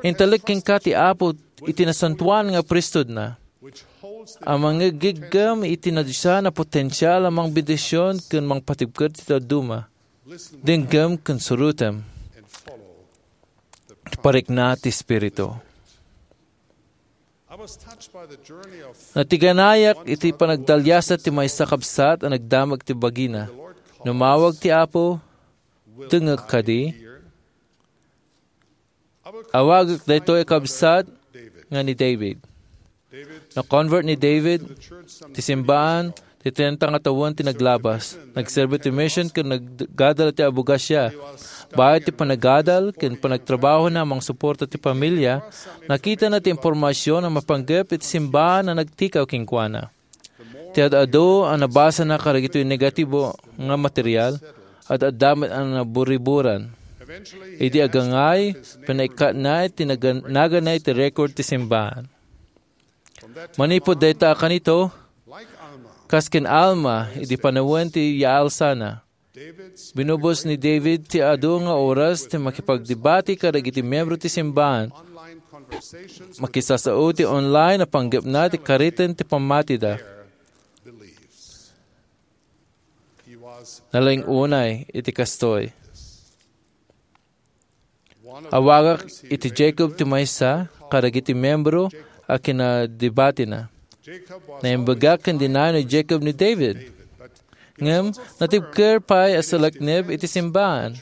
Intalek kenka ti Apo iti nasantoan nga priesthoodna, a mangigiggem iti nadisaan a potensial a mangbendision ken mangpatibker ti dadduma. Denggem ken surotem ti parikna ti Espiritu. Natiganayak iti panagdaliasat ti maysa kabsat a nagdamag ti bagina. Numawag ti Apo, "Dengngek kadi?" Awagek daytoy a kabsat nga ni David. Na-convert ni David ti simbahan ti trenta nga tawen ti naglabas. Nagserbi ti mission ken naggadal ti abogasia. Baet ti panagadal ken panagtrabahona a mangsuporta ti pamilia, nakitana ti impormasion a mapanggep iti simbahan a nagtikaw kenkuana. Ti ad-adu a nabasana kadagitoy negatibo nga material, ad-adda met a naburiburan. Idi agangay, pinaikkatna ti nagan-, naganna iti record ti simbahan. Manipud dayta a kanito, kas ken Alma, idi panawen ti yaalsana, binubos ni David ti adu nga oras ti makipagdebati kadagiti miyembro ti simbahan. Makisasao ti online a panggepna ti kariten ti pammatida. Nalaing-unay iti kastoy. Awagak iti Jacob ti maysa kadagiti miyembro a kinadebatina. Naimbagak ken dinayo ni Jacob ni David. Ngem natibker pay a salaknib iti simbahan.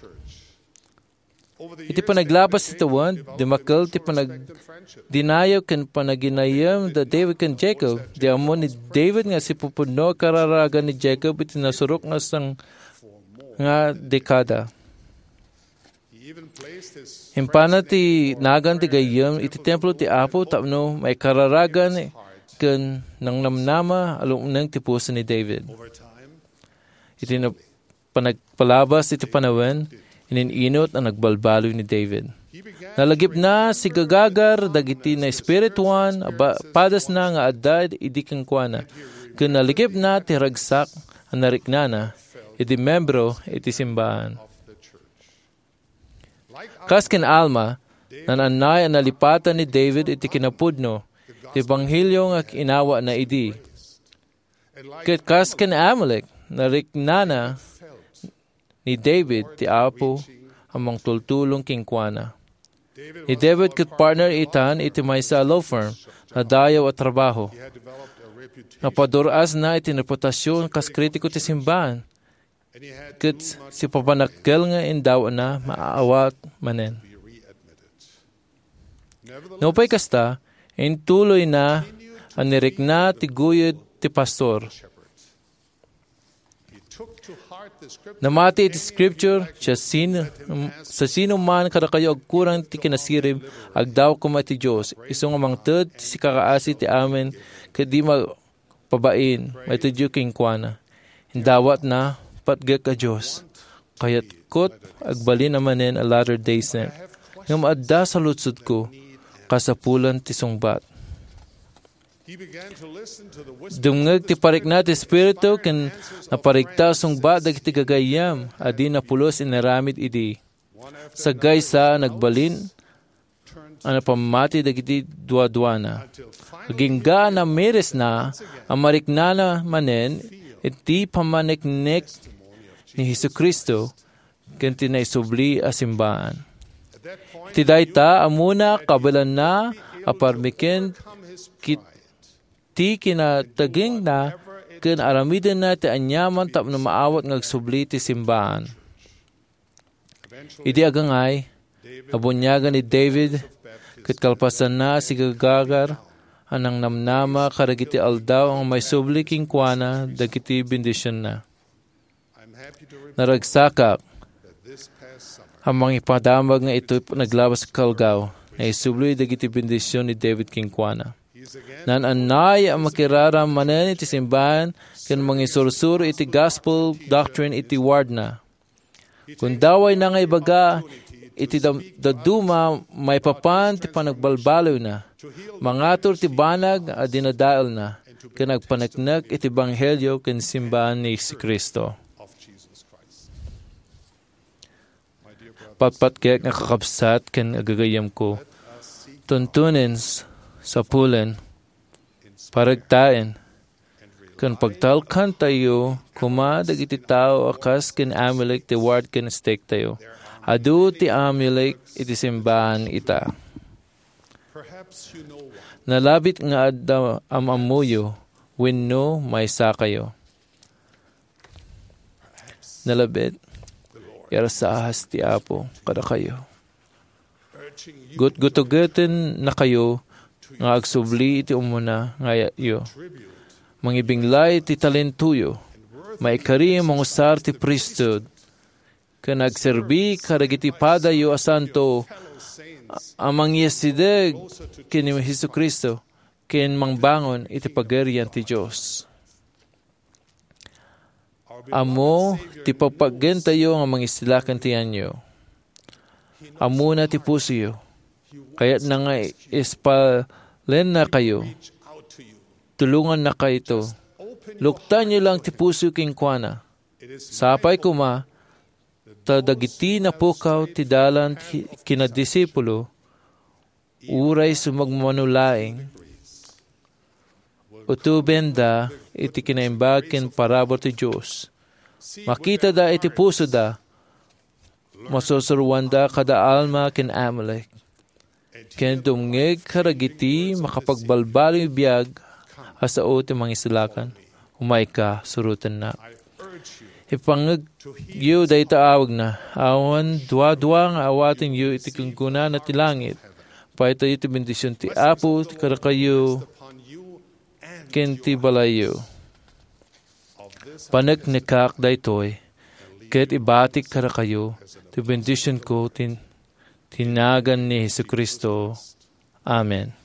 Iti panaglabas ti tawen, dimmakkel ti panagdinayo ken panaginayem da David ken Jacob. Di ammo ni David nga sipupudno a kararagan ni Jacob iti nasurok nga sang-, nga dekada. Impana ti nagan ti gayyem iti templo ti Apo tapno maikararagan ken nangnamnama a lumneng ti puso ni David. Iti na-, panagpalabas iti panawen, inin-inot a nagbalbaliw ni David. Nalagipna sigagagar dagiti naespirituan a ba-, padasna nga adda idi kenkuana, ken nalagipna ti ragsak a nariknana idi membro iti simbahan. Kas ken Alma, naan-annay a nalipatan ni David iti kinapudno ti ebanghelio nga inawatna idi. Ket kas ken Amalek, nariknana ni David ti Apo a mangtultulong kenkuana. Ni David ket partner itan iti maysa a law firm, nadayaw a trabaho. Napadur-asna iti reputasion kas kritiko ti simbahan. Ket sipapanakkel nga indawatna maawat manen. Nupay kasta, intuloyna a nirikna ti guyod ti pastor. Namati iti scripture, "Siasino, siasino man kadakayo agkurang ti kinasirib, agdawa koma iti Dios. Isu nga mangted ti sikakaasi ti amin, ket di ma-, pabain, maitedyo kenkuana." Indawatna, "Patgek a Dios, kayatkot agbalin a manen a Latter-day Saint, ngem adda saludsodko, kasapulan ti sungbat." Dumngeg ti parikna ti Espiritu ken naparikta a sungbat dagiti gagayyem a di napulos inaramid idi. Saggaysa a nagbalin a napammati dagiti duaduana. Agingga a namirisna a mariknana manen iti pammaneknek ni Jesu-Cristo ken ti naisubli a simbaan. Iti dayta, ammona kabaelanna a parmeken kit-, ti kinatagingna ken aramidenna ti aniaman tapno maawat nga agsubli ti simbaan. Idi agangay, nabuniagan ni David ket kalpasanna a sigagagar a nangnamnama kadagiti aldaw nga maisubli kenkuana dagiti bendisionna. Naragsakak a mangipadamag nga iti naglabas a aldaw, naisubli dagiti bendision ni David kenkuana. Naan-annay a makiraram manen iti simbaan ken mangisursuro iti gospel doctrine iti wardna. Kundawayna nga ibaga iti dam-, dadduma maipapan ti panagbalbaliwna, mangatur ti banag a dinadaelna, ken agpaneknek iti ebanghelio ken simbaan ni Jesu-Cristo. Patpatgek nga kakabsat ken agagayyemko, tuntunen, s-, sapulen, paregtaen, ken pagtalkantayo koma dagiti tao a kas ken Amulek ti ward ken stake tayo. Adu ti Amulek iti simbaan ita. Nalabit nga adda am-ammoyo wenno maysakayo. Nalabit, iyarsaas ti Apo kadakayo. Gutgutugeten nakayo nga agsubli iti umuna nga ayatyo. Mangibiglay ti talentoyo. Maikari mangusar ti priesthood. Ken agserbi kadagiti padayo a santo a mangiyasideg ken ni Jesu-Cristo ken mangbangon iti Pagarian ti Dios. Ammo ti pagpaggentayo nga mangisila ken ti yanyo. Ammona ti pusoyo. Kayatna nga ispalennakayo. Tulongannakayto. Luktanyo lang ti puso kenkuana. Sapay koma, ta dagiti napukaw ti dalan ti kinadisipulo, uray sumagmamano laeng, utobenda iti kinaimbag ken parabur ti Dios. Makitada iti pusoda, masursuroanda kada Alma ken Amulek, ken dumngeg kadagiti makapagbalbaliw biag a sao ti mangisalakan. Umayka, surotennak. Ipangngegyo dayta awagna. Awan duadua nga awatenyo iti gunggunana ti langit. Paytayo ti bendision ti Apo ti kadakayo ken ti balayyo. Paneknekak daytoy, ket ibatik kadakayo ti bendisionko ti, ti nagan ni Jesu-Cristo. Amen.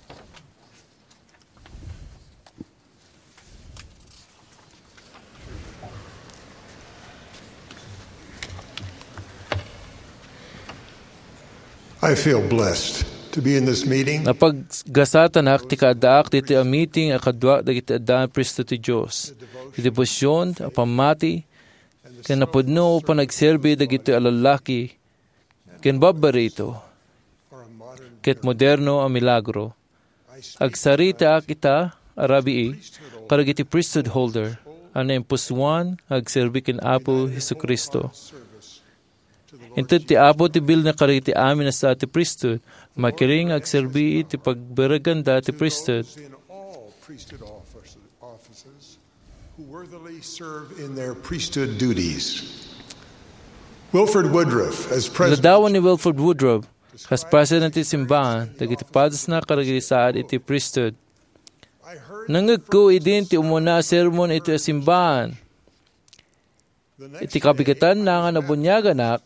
I feel blessed to be in this meeting. Napaggasatanak ti kaaddaak ditoy a meeting a kaduak dagiti addaan a priestut ti Dios. Ti debosion a pammati ken napudno a panagserbi dagitoy a lallaki ken babbarito ket moderno a milagro. Agsaritaak ita a rabii kadagiti priesthood holder a naimpusoan nga agserbi ken Apo Jesu-Cristo. Inted ti Apo ti bilna kadagiti amin a sa ti priesthood, makiring nga agserbi iti pagbireganda ti priesthood. Who worthily serve in their priesthood duties. Wilford Woodruff, as president. Ladawan ni Wilford Woodruff, kas president ti simbahan, dagiti padasna kadagiti saad iti priesthood. Nangngegko idin ti umuna a sermon iti simbahan. Iti kabigatanna nga nabuniaganak,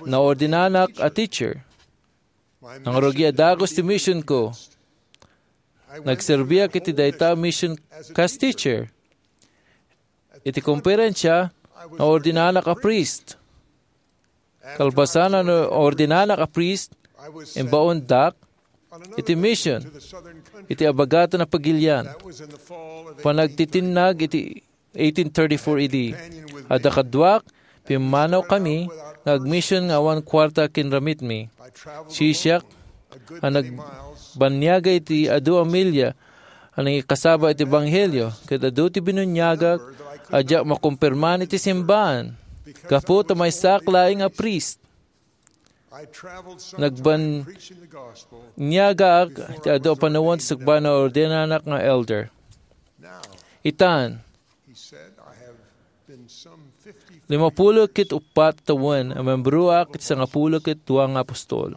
naordinanak a teacher. Nangrugi a dagus ti missionko. Nagserbiak iti dayta a mission kas teacher. Iti komperensia, naordinanak a priest. Kalpasan a naordinanak a priest, imbaondak iti mission iti Abagatan a Pagilian. Panagtitinnag iti eighteen thirty-four A D. Adda kaduak, pimmanawkami nga agmission nga awan kuarta ken ramitmi. Siak a nagbanniaga iti adu a milya a nangikasaba iti ebanghelio, ket adu ti binuniagak a diak makumpirmaan iti simbaan gapu ta maysaak laeng a priest. Nagbanniagaak iti adu a panawen ti sakbay nga ordenanak nga elder. Itan, limapulo ket uppat a tawen a membroak iti sangapulo ket dua nga apostol.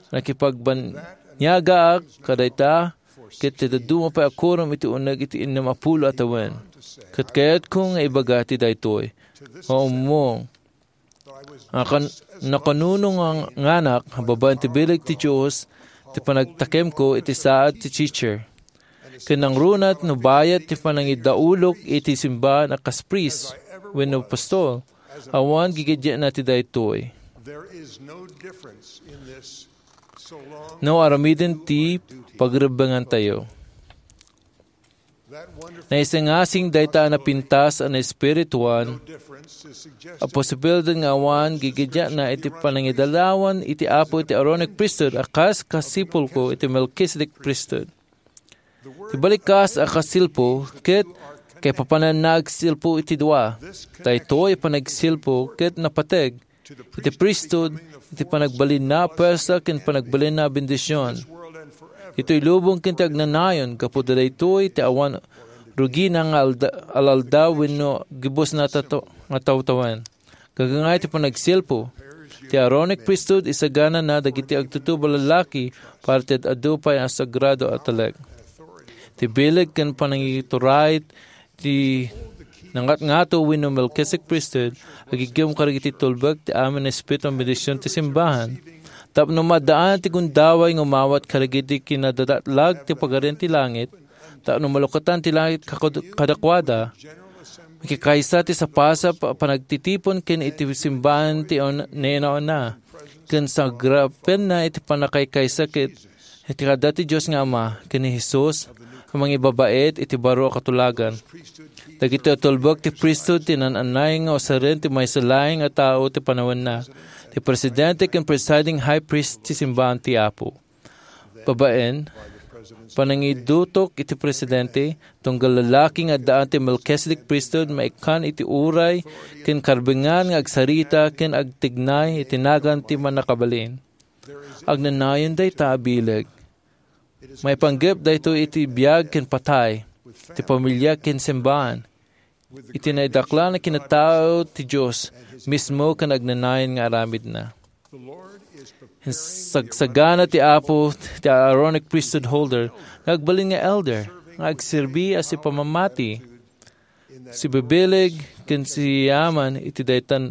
Nakipagbanniagaak kadayta ket ti dadduma pay a quorum iti uneg iti innem a pulo a tawen. Ket kayatko nga ibaga ti daytoy nga ummong a kan-, nakanunonganganak babaen ti bileg ti Dios ti panagtakemko iti saad ti teacher. Ken nangruna no bayat ti panangidaulok iti simbaan a kas priest wenno apostol, awan gigiddiatna ti daytoy. No aramiden ti pagrebbengantayo. Naisingasing dayta a napintas a naespirituan a posibilidad nga awan gigiddiatna iti panangidalawan iti Apo iti Aaronic priesthood a kas kasipulko iti Melchizedek priesthood. Ti balikas a kasilpo ket kaipapananna agsilpo iti dua. Daytoy a panagsilpo ket napateg iti priesthood, iti panagbalinna a puersa ken panagbalinna a bendision. Itoy lubong ken ti agnanayon, gapu daytoy ti awan rugina nga alda-, alaldaw wenno gibusna tato-, nga tawtawen. Gagangay ti panagsilpo. Ti Aaronic priesthood, isaganana dagiti agtutub a lallaki para ti ad-adu pay a sagrado a talek. Ti bileg ken panangituray ti nangatngato wenno Melchizedek priesthood, agiggem kadagiti tulbek ti amin a espiritu a bendision ti simbahan, tapno maaddaan ti gundaway nga umawat kadagiti kinadadatlag ti Pagarian ti Langit, tapno malukatan ti langit kakad-, kadakuada, makikaysa ti sapasap a panagtitipon ken iti simbahan ti on-, nainauna, ken sagrapenna iti pannakaykaysa ket iti kada ti Dios nga Ama ken ni Jesus a mangibabaet iti baro a katulagan. Dagiti tulbek ti priesthood ti naan-annay nga usaren ti maysa laeng a tao ti panawenna, ti presidente ken presiding high priest ti simbahan ti Apo. Babaen, panangidutok iti presidente, tunggal lalaki nga addaan ti Melchizedek priesthood maikkan iti uray ken karbengan nga agsarita ken agtignay iti nagan ti Mannakabalin. Agnanayon dayta a bileg. Maipanggep daytoy iti biag ken patay, ti pamilia ken simbahan, iti naidaklan a kinatao ti Dios mismo ken agnanayon nga aramidna. Sagsagana ti Apo ti Aaronic priesthood holder nga agbalin nga elder, nga agserbi a sipamamati, sibibileg, ken siyaman iti dayta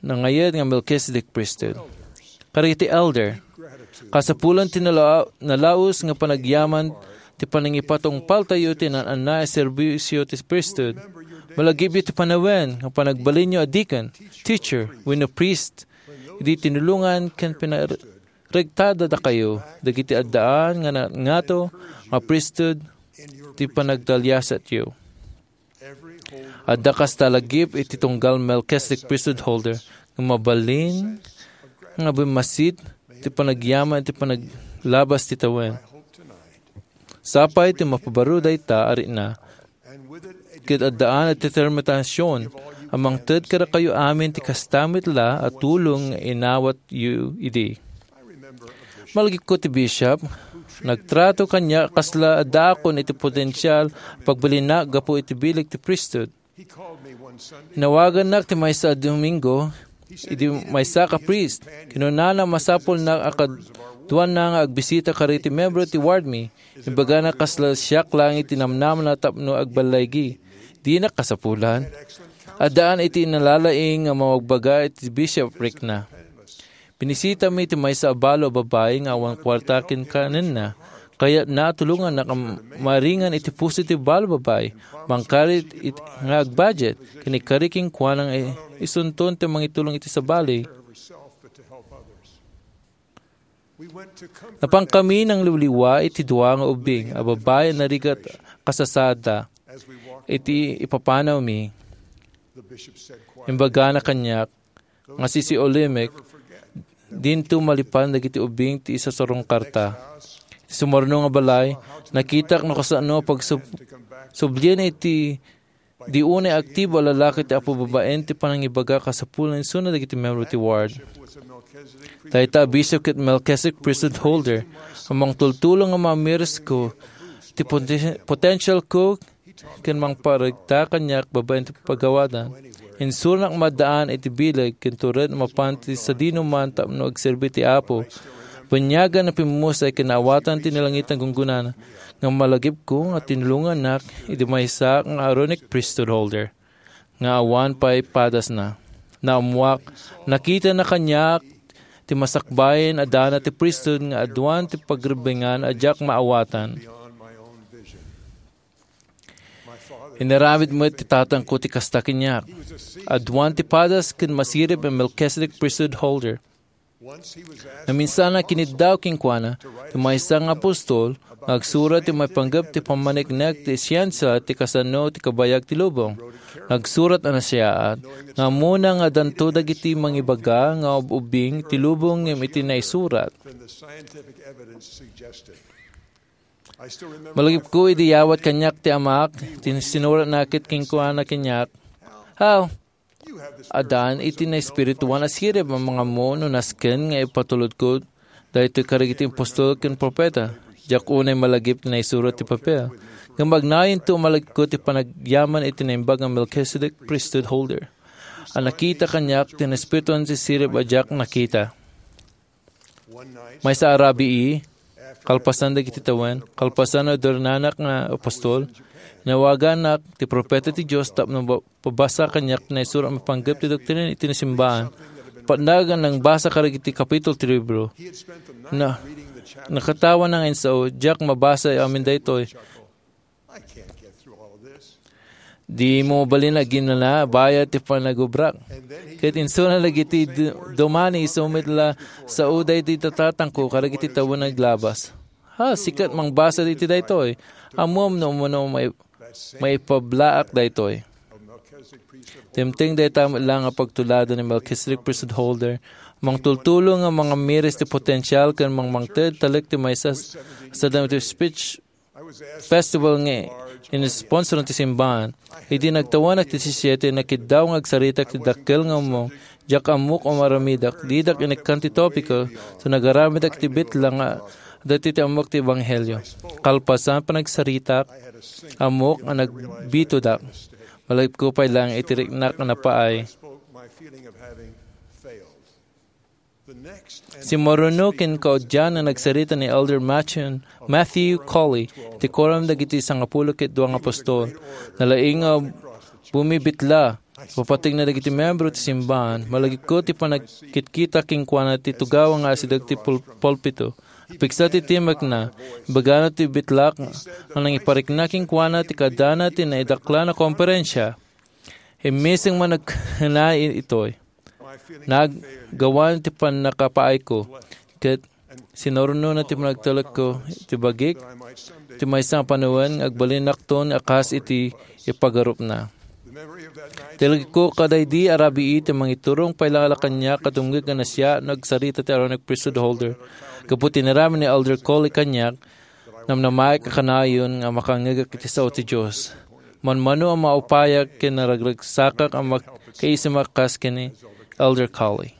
nangayed nga Melchizedek priesthood. Kadagiti elder, kasapulan ti nala-, nalaus nga panagyaman ti panangipatungpaltayo ti naan-annay a serbisio ti priesthood. Malagipyo ti panawen nga panagbalinyo a deacon, teacher, wenno priest. Idi tinulongan ken pinaregtada dakayo dagiti addaan nga na-, ngato nga priesthood ti panagtaliasatyo. Adda kasta a lagip iti tunggal Melchizedek priesthood holder nga mabalin nga bimmasit ti panagyaman iti panaglabas ti tawen. Sapay ti mapabaro dayta a rikna, ket addaan a determinasion a mangted kadakayo amin ti kasta met la a tulong nga inawatyo idi. Malagipko ti bishop, nagtrato kaniak kasla addaakon iti potensial a pagbalinna gapu iti bileg ti priesthood. Inawagannak ti maysa a Domingo, idi maysa ka priest. Kinunana a masapulna a kaduanna nga agbisita kadagiti membro ti ward mi. Imbagana kasla siak laeng ti namnamna tapno agballaygi. Dinak kasapulan. Addaan iti nalalaing nga mabagbaga iti bishoprikna. Binisitami ti maysa a balo a babai nga awan kuarta ken kanenna. Kayatna a tulongannak a maringan iti puso ti balo a babai, mangkari it-, nga agbudget, ken ikkari kenkuana nga i-, isunton ti mangitulong iti sabali. Napankami nangliwliwa iti dua nga ubbing a babai a narigat a kasasaadda. Iti ipapanawmi, imbagana kaniak nga sisiulimek, dinto malipan dagiti ubbing ti isasarungkarta. Iti sumaruno nga balay, nakitak no kasano pagsub-, sublien iti di unay aktibo a lalaki ti apo babaen ti panangibaga kasapulan isuna dagiti membro ti ward. Dayta a bisyo ket Melchizedek priesthood holder, a mangtultulong nga mamiris ko ti poten-, potential ko ken mangparegta kaniak babaen ti pagawadan. Insuranak maddaan iti bileg ken tured a mapan ti sadino man tapno agserbi ti Apo. Baniagan a pimmusay ken naawatan ti nalangitang gunggonana nga malagipko nga tinulongannak iti maysa nga Aaronic priesthood holder nga awan pay padasna. Naammuak, nakitana kaniak ti masakbayan a dana ti priesthood nga aduan ti pagrebbingan a diak maawatan. Inaramid met ti tatangko ti kasta kaniak. Aduan ti padas ken masirib a Melchizedek priesthood holder. Naminsan a kiniddaw kenkuana ti maysa nga apostol nga agsurat ti maipanggep ti pammaneknek ti siensia ti kasano ti kabayag ti lubong. Nagsurat a nasayaat nga ammona nga addanto dagiti mangibaga nga ub-ubbing ti lubong ngem iti naisurat. Malagipko idi yawat kaniak ti amak, ti sinuratna ket kenkuana kaniak, "Aw, addaan iti naespirituan a sirib a mangammo no nasken nga ipatulodko daytoy kadagiti apostol ken profeta." Diak unay malagip ti naisurat ti papel. Ngem agnayonto a malagipko ti panagyaman iti Naimbag a Melchizedek priesthood holder a nakita kaniak ti naespirituan ti sirib a diak nakita. Maysa a rabii, kalpasan dagiti tawen, kalpasan a adornanak nga apostol, inawaganak ti profeta ti Dios tapno ba-, pabasa kaniak ti naisurat a maipanggep ti doktrina iti nasimbaan. Patnag a nangbasa kadagiti kapitulo ti libro. Na, nakatawana nga insao, "Diak mabasa amin daytoy." "Dimo mabalin a ginana bayat ti panagubrak." Ket insuna dagiti du-, dumani isu met la sao daydi tatangko kadagiti tawen nga aglabas. "Ha, sika ti mangbasa iti daytoy. Ammom no umano mai-, maipablaak daytoy." Dimteng dayta met la nga pagtulado ni Melchizedek priesthood holder, mangtultulong nga mangamiris ti potensial ken mangmangted talek ti maysa s-, sadam ti speech festival nga inisponsoran ti simbahan. Idi nagtawanak ti disisyete, nakiddaw nga agsarita ti dakkel nga ummong. Diak ammok a maaramidak. Didak inikkan ti topiko, so nagaramidek iti bitla nga adda ti ammok ti ebanghelio. Kalpasan panagsaritak, ammok a nagbitodak. Malagipko pay laeng iti riknak a napaay. Simmaruno ken kaudyan nga nagsarita ni Elder Matthew, Matthew Cowley, ti Quorum dagiti Sangapulo ket Dua nga Apostol. Nalaing nga bumibitla, papategna dagiti membro ti simbahan. Malagipko ti panagkitkita kenkuana ti tugawa nga asideg ti pul-, pulpito. Napigsa ti timekna, ibagana ti bitlak nga nangiparikna kenkuana ti kaadana ti naidaklan a komperensia. Immising man nagkuna itoy. Naggawan ti pannakapaayko, ket sinurno na ti panagtalekko ti bagik, ti maysa nga panawen nga agbalinakton a kas iti ipagarupna. Talekko kadaydi a rabii ti mangiturong pay la kaniak a dumngeg a nasia no agsarita ti Aaronic priesthood holder. Gapu ti inaramid ni Elder Cowley kaniak, namnamaek a kanayon nga makangngegak iti sao ti Dios. Manmano a maupayak ken naragragsakak a makaisem a kas ken ni Elder Cowley.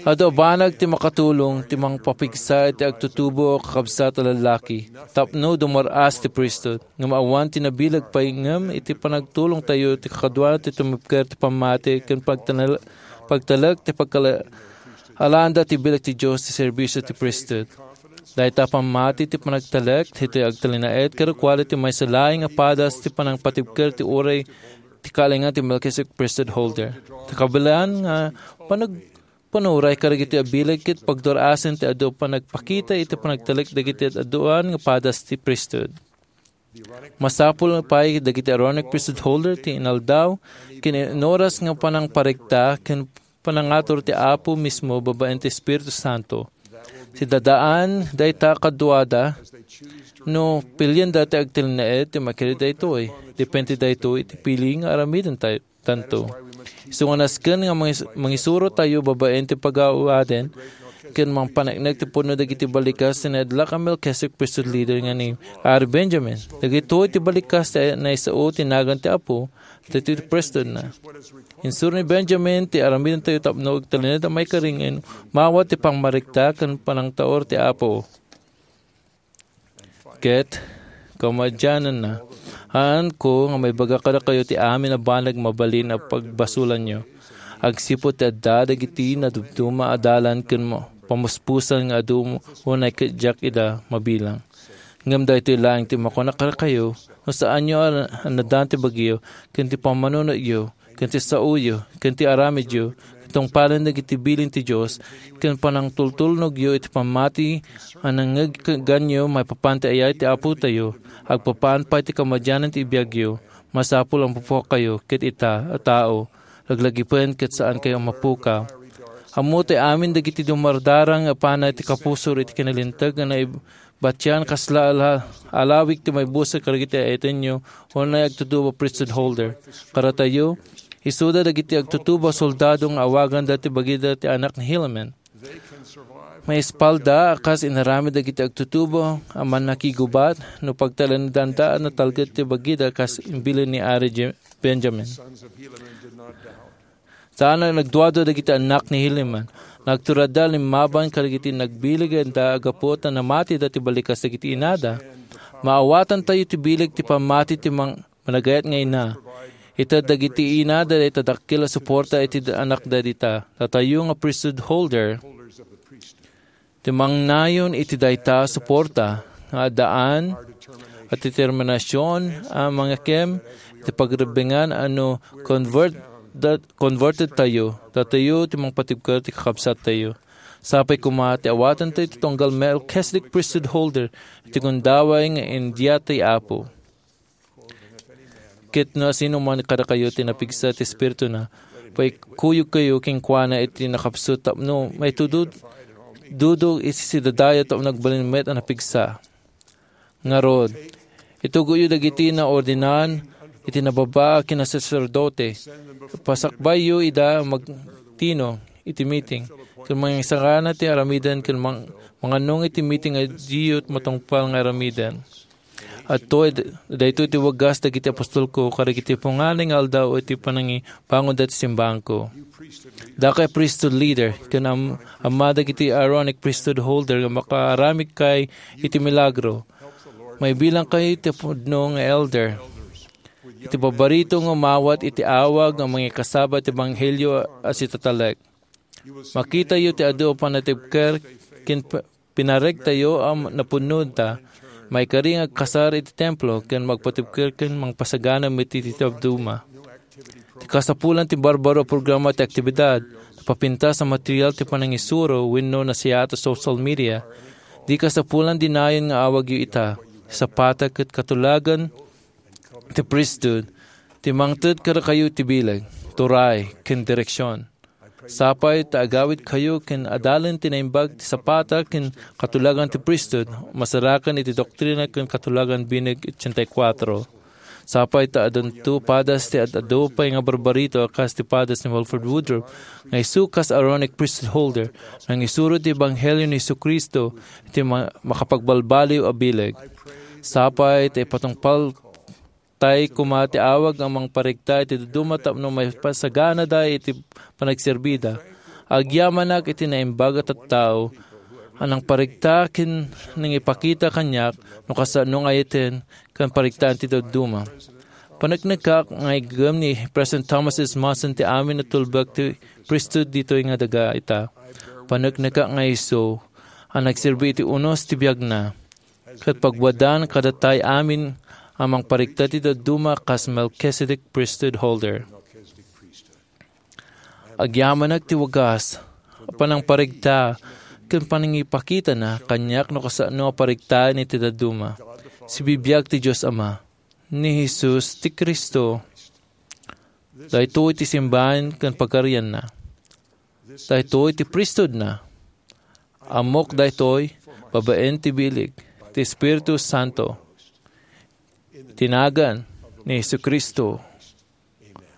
Adu a banag ti makatulong ti mangpapigsa iti agtutubo a kakabsat a lallaki tapno dumar-as ti priesthood, ngem awan ti nabileg pay ngem iti panagtulongtayo ti kakaduana ti tumipker ti pammati ken pagtanal-, pagtalek ti pagkala-, alaanda ti bileg ti Dios ti serbisio ti priesthood. Dayta a pammati ti panagtalek, ditoy agtalinaed kadakuada ti maysa laeng a padas ti panangpatibker ti uray ti kaalingan ti Melchizedek priesthood holder. Ta kabilan nga panag-, panuray kadagiti abileg ket pagdur-asen ti adu a panagpakita iti panagtalek dagiti ad-aduan nga padas ti priesthood. Masapul pay dagiti Aaronic priesthood holder ti inaldaw ken inoras nga panangparikta ken panangatur ti Apo mismo babaen ti Espiritu Santo. Sidadaan dayta kaduada no pilienda ti agtalinaed ti maikari daytoy. Depende daytoy iti pili nga aramiden tayo tanto. Isu nga nasken nga mangis-, mangisuro tayo babaen ti pagawaden ken mangpaneknek ti pudno dagiti balikas ti naidlak a Melchizedek priesthood leader nga ni Ari Benjamin. Dagitoy ti balikas ti naisao ti nagan ti Apo, dagitoy ti priesthoodna. Insuro ni Benjamin ti aramiden tayo tapno agtalinaed a maikari nga mawat ti pangmarikta ken panangtaur ti Apo. Ket kamadiananna, haanko nga maibaga kadakayo ti amin a banag mabalin a pagbasolanyo. Agsipud ti adda dagiti nadumduma a dalan ken ma-, pamuspusan nga adu unay ket diak ida mabilang. Ngem daytoy laeng ti makunak kadakayo, no saanyo a, a nadan ti bagyo, ken ti pammanunotyo, ken ti saoyo, ken ti aramidyo, ken tungpalen dagiti bilin ti Dios, ken panangtultulnogyo iti pammati a nangngegganyo maipapan ti ayat ti Apotayo, agpapan pay ti kamadianan ti ibiagyo, masapul a mapukayo ket ita a tao, laglagipen ket saankayo a mapukaw. Ammo ti amin dagiti dumardarang a panay ti kapusor iti kinalinteg nga naib-, batian kasla ala-, alawig ti maibusor kadagiti ayatenyo, unay agtutubo priesthood holder. Kadatayo, isuda dagiti agtutubo a soldado nga awaganda ti bagida ti anak ni Helaman. Maispalda a kas inaramid dagiti agtutubo a mannakigubat no pagtalnedanda a natalged ti bagida kas imbilin ni Ari Je-, Benjamin. Saan a nagduadua dagiti annak ni Helaman. Nagturadda limmaban kadagiti nagbilegenda a gapu ta namatida ti balikas dagiti inada. Maawatantayo ti bileg ti pammati ti mang-, managayat nga ina. Ited dagiti inada dayta dakkel a suporta iti anakda dita. Datayo nga priesthood holder, ti mangnayon iti dayta a suporta nga addaan a determinasion a mangikem iti pagrebbengan a no convert-, converted tayo, datayo ti mangpatibker ti kakabsat tayo. Sapay koma ti awatantayo ti tunggal Melchizedek priesthood holder iti gundaway nga india ti Apo. Ket no asino man kadakayo ti napigsa ti Espirituna, paikuyogkayo kenkuana iti nakapsut tapno maitudod-, dudog iti sidadayo tapno agbalin met a napigsa. Ngarud, itugoyo dagiti naordinan iti nababa a kinasaserdote. Pasakbayyo ida a magtino iti meeting, ken mangisagana ti aramiden ken mang-, mangannong iti meeting a diyo matungpal nga aramiden. Adtoy d-, daytoy ti wagas dagiti apostolko kadagiti punganay nga aldaw iti panangibangod dagiti simbaanko. Dakayo a priesthood leader ken am-, amma dagiti Aaronic priesthood holder nga makaaramidkayo iti milagro. Maibilangkayo iti pudno nga elder. Iti barbarito nga umawat iti awag nga mangikasaba ti ebanghelio a sitatalek. Makitayo ti adu a panatibker ken p-, pinaregtayo a napudnota, maikari nga agkasar iti templo ken magpatibker ken mangpasagana met iti dadduma. Ti kasapulan ti barbaro a programa ti aktibidad, napapintas a material ti panangisuro wenno nasiyaat a social media, di kasapulan dinayon nga awagyo ita. Ti sapata ket katulagan ti priesthood ti mangted kadakayo ti bileg, turay, ken direksion. Sapay ta agawidkayo ken adalen ti naimbag ti sapata ken katulagan ti priesthood, masarakan iti Doktrina ken Katulagan Binig ochenta y cuatro. Sapay ta addanto padas ti ad-adu pay nga barbarito a kas ti padas ni Wilford Woodruff nga isu kas Aaronic priesthood holder, nangisuro ti ebanghelio ni Jesu-Cristo iti ma-, makapagbalbaliw a bileg. Sapay ta ipatungpal tay koma ti awag a mangparikta iti dadduma tapno maipasaganada iti panagserbida. Agyamanak iti naimbag a tattao a nangparikta ken nangipakita kaniak no kasano nga ayaten ken pariktaan ti dadduma. Paneknekak nga igem ni President Thomas S. Monson ti amin a tulbek ti priesthood ditoy nga daga ita. Paneknekak nga isu a nagserbi iti unos ti biagna. Ket pagwadaan kadatay amin a mangparikta ti dadduma kas Melchizedek priesthood holder. Agyamanak ti wagas a panangparikta ken panangipakitana kaniak no kasano a pariktaen iti dadduma. Sibibiag ti Dios Ama, ni Jesus ti Cristo. Daytoy ti simbaen ken pagarianna. Daytoy ti priesthoodna. Ammok daytoy babaen ti bileg ti Espiritu Santo. Ti nagan ni Jesu-Cristo.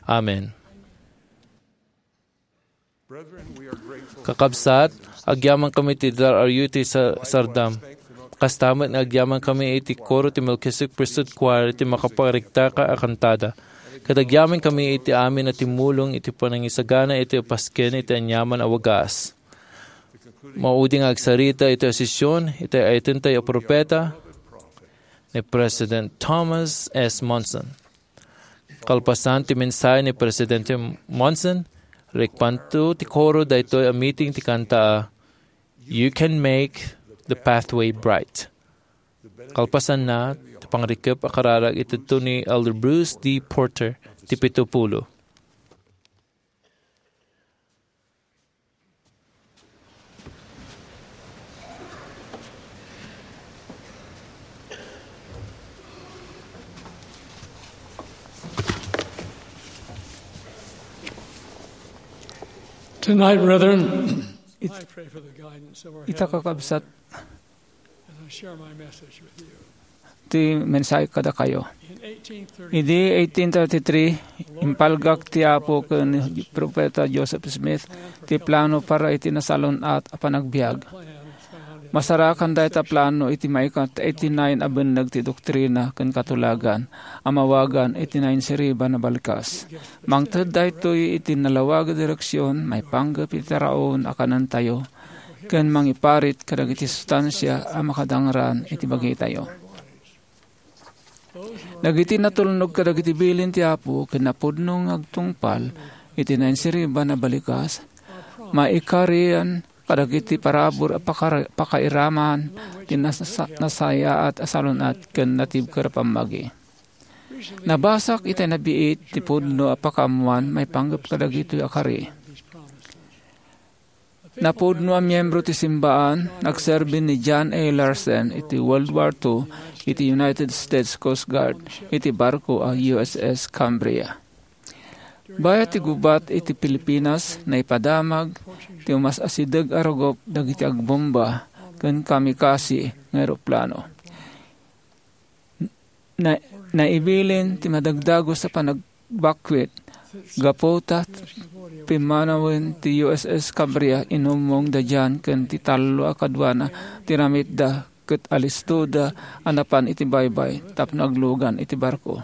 Amen. Kakabsat, agyamankami ti dar-ayo iti sa-, sardam. Kasta met nga agyamankami iti koro ti Melchizedek Priesthood Choir iti makaparigtaka a kantada. Ket agyamankami iti amin a timmulong iti panangisagana iti pasken iti aniaman a wagas. Maudi nga agsarita iti sesion iti ayatentayo a propeta ni President Thomas S. Monson. Kalpasan ti mensahe ni Presidente Monson, rikpanto ti koro daytoy a meeting ti kanta a "You Can Make the Pathway Bright." Kalpasanna, ti pangrikep a kararag iti ni Elder Bruce D. Porter, ti pito pulo. Tonight, brethren, I pray for the guidance of our ita heavenly kakabsat Father as I share my message with you. Ti mensahe kadakayo. In eighteen thirty, idi eighteen thirty-three, impalgak ti Apo ken ni Propeta Joseph Smith ti plano para iti nasalun-at a panagbiag. Masarakan dayta plano iti maikat eighty-nine a benneg ti doktrina ken katulagan a mawagan iti Nainsiriban a Balikas. Mangted daytoy iti nalawag a direksion maipanggep iti taraon a kanentayo ken mangiparit kadagiti sustansia a makadangran iti bagitayo. Dagiti natulnog kadagiti bilin ti Apo ken napudno nga agtungpal iti Nainsiriban a Balikas, maikarian kadagiti parabur a pakar-, pakairaman ti nasa-, nasayaat a salun-at ken natibker a pammagi. Nabasak iti nabiit ti pudno a pakaammuan maipanggep kadagitoy a kari. Napudno a miyembro ti simbaan, nagserbi ni John A. Larsen iti World War Two iti United States Coast Guard iti barko a U S S Cambria. Bayat ti gubat iti Pilipinas, naipadamag ti umas-asideg a rugup dagiti agbomba ken kamikaze nga eroplano. Na-, naibilin ti madagdagus a panagbakwit. Gapu ta pimmanawen ti U S S Cambria, inummong da John ken ti tallo a kaduana ti ramitda ket alistoda a napan iti baybay tapno aglugan iti barko.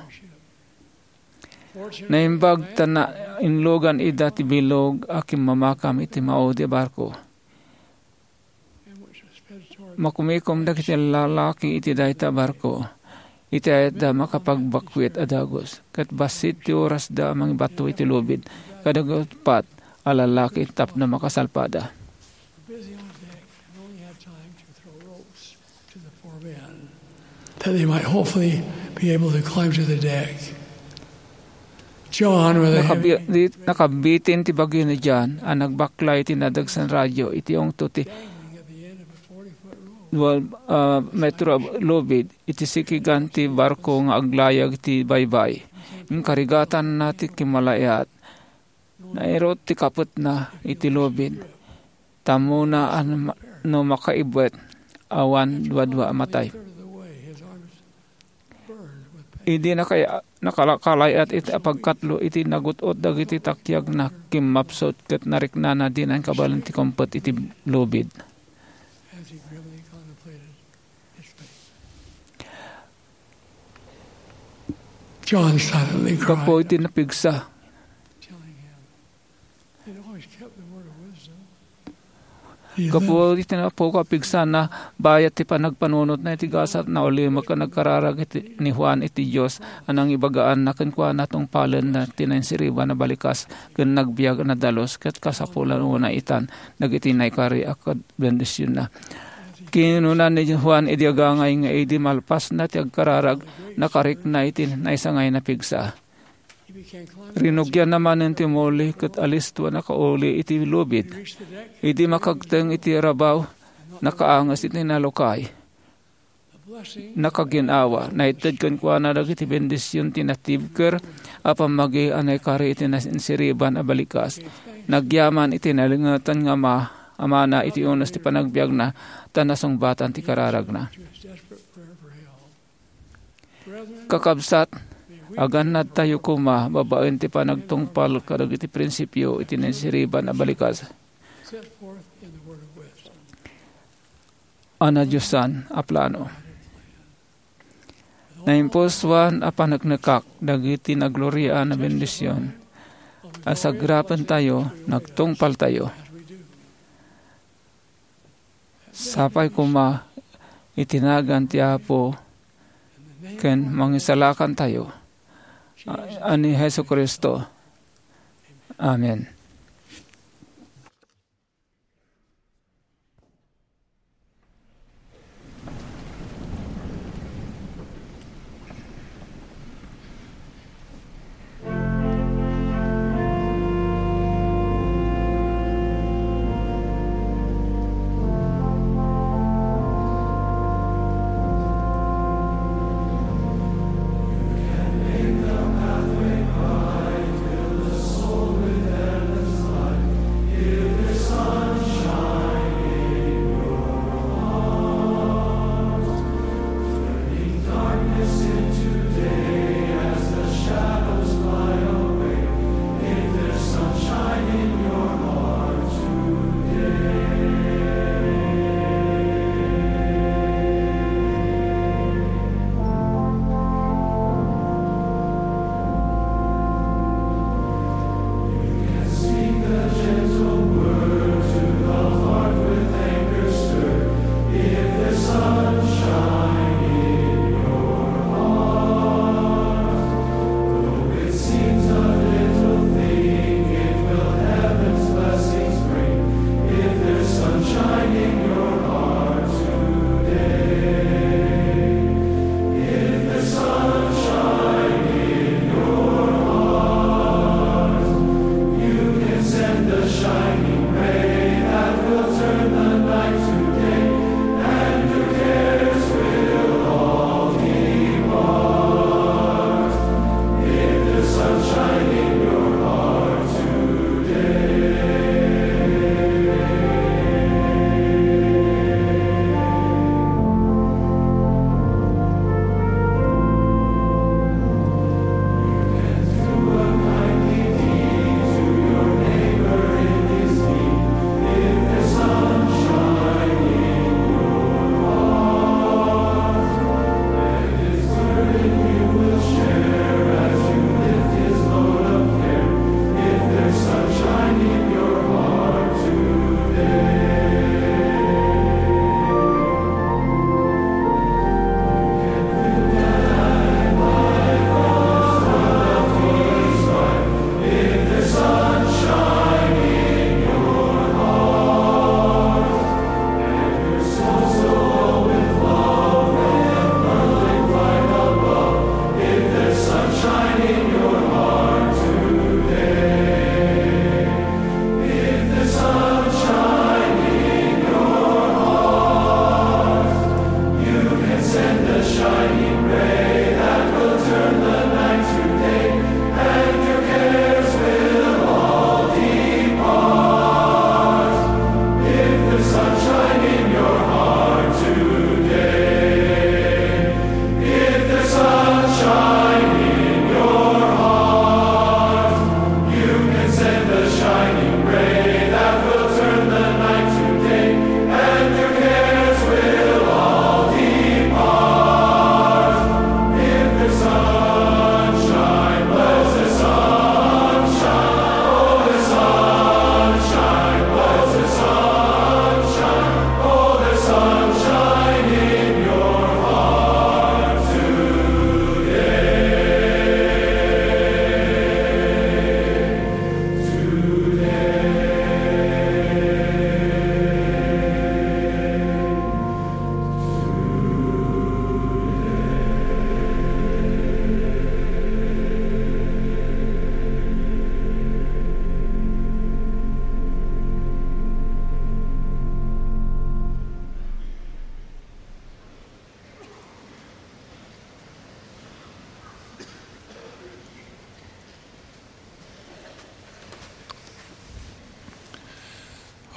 Naimbag ta nainlugan ida ti bilog a kimmamakam iti maudi a barko. Makumikom dagiti lalaki iti dayta a barko. Iti ayatda makapagbakwit a dagus, ket bassit ti orasda a mangibato iti lubid kadagiti uppat a lalaki tapno makasalpada. Busy on deck and only had time to throw ropes to the four men that they might hopefully be able to climb to the deck. John, with a heavy Nakabi-, di-, nakabitin ti bagyo ni John a nagbaklay ti nadagsen radio iti ungto ti dangling at the end of a forty-foot rope. Dua, ah, metro a lubid iti sikigan ti barko nga aglayag ti baybay. Inkarigatanna ti kimmalayaat. Nairut ti kapetna iti lubid. Tammona a ma-, no makaibwet, awan duadua a matay. Idi nakay-, nakala-, kalay-at iti apagkatlo iti nagut-ot dagiti takyagna, kimmapsut ket nariknana dina inkabalen ti kumpet iti lubid. John silently cried. Gapu iti napigsa. Gapu iti napukaw a pigsana, bayat ti panagpanunotna iti gasat, naulimek a nagkararag iti, ni Juan iti Dios a nangibagaanna kenkuana tungpalenna ti nainsiriban a balikas ken nagbiag a nadalus ket kasapulan unay itan dagiti naikari a kad-, bendisionna. Kinuna ni Juan idi agangay nga idi malpasna ti agkararag, nakarikna iti naisangay a pigsa. Rinugianna manen ti muli ket alisto a nakauli iti lubid. Idi makagteng iti rabaw, nakaanges iti nalukay. Nakagin-awa, naited kenkuana dagiti bendision ti natibker a pammagi a naikari iti nainsiriban a balikas. Nagyaman iti nalingetan nga ama Amana iti unos ti panagbiagna, ta nasungbatan ti kararagna. Kakabsat, agannadtayo koma babaen ti panagtungpal kadagiti prinsipio iti naisiriban a balikas a nadiosan a plano. Naimpusuan a paneknekak dagiti nagloriaan a bendision a sagrapentayo, nagtungpaltayo. Sapay koma iti nagan ti Apo ken Mangisalakantayo a, a ni Jesu-Cristo. Amen.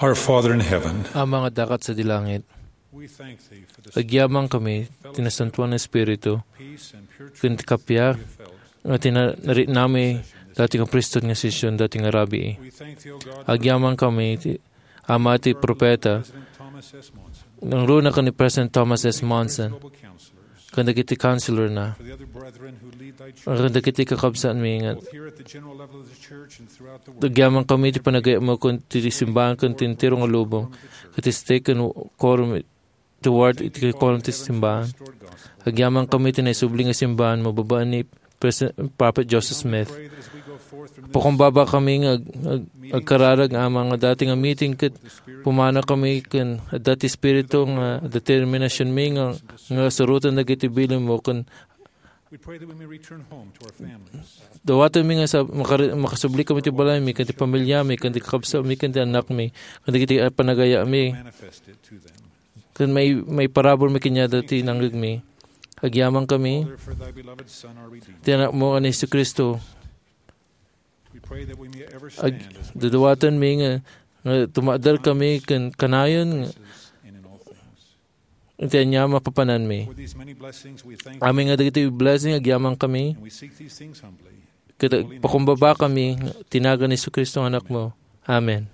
Our Father in heaven, Ama nga adda sadi langit, we thank thee for the agyamankami ti Nasantoan nga Espiritu peace and pure ken ti kappia nga tinaritnami dati nga priesthood nga session dati nga rabii. We thank thee, O God, for Agyamankami ti Ama ti propeta, President Thomas S. Monson, nangruna ken ni President Thomas S. Monson, global counselors, ken dagiti counselor na, for the other brethren who lead thy church, ken dagiti kakabsatmi nga both here at the general level of the church and throughout the world. Agyamankami ti panagayatmo ken ti simbahan ken ti entero nga lubong, ket ti stake ken quorum ti ward iti quorum ti simbahan. Agyamankami ti naisubli nga simbahan mo babaen ni Pres-, Prophet Joseph Smith. Pakumbaba kami nga ag-, ag-, agkararag, Ama, nga dati nga meeting ket pumanaw kami ken adda ti Espiritu nga determinationmi nga, nga suroten dagiti bilinmo ken We pray that we may return home to our families. Dawatenmi nga sa-, makari-, makasubli kami ti balaymi, ken ti pamilyami, ken ti kakabsatmi, ken ti annakmi, ken dagiti panagayatmi. Manifest it to them. Ken may, may parabur mi kaniada ti nangngegmi. Agyamankami Father, for thy beloved Son, our Redeemer. Ti Anakmo a ni Jesu-Cristo. We pray that we may ever Ag-, stand as witnesses dawatenmi nga, nga tumader kami ken kanayon nga in all things. Iti ania mapapananmi. For these many blessings, we thank Amin nga dagiti blessing, agyamankami. And we seek these things humbly. Ket pakumbaba kami ti nagan ni Jesu-Cristo nga Anakmo. Amen.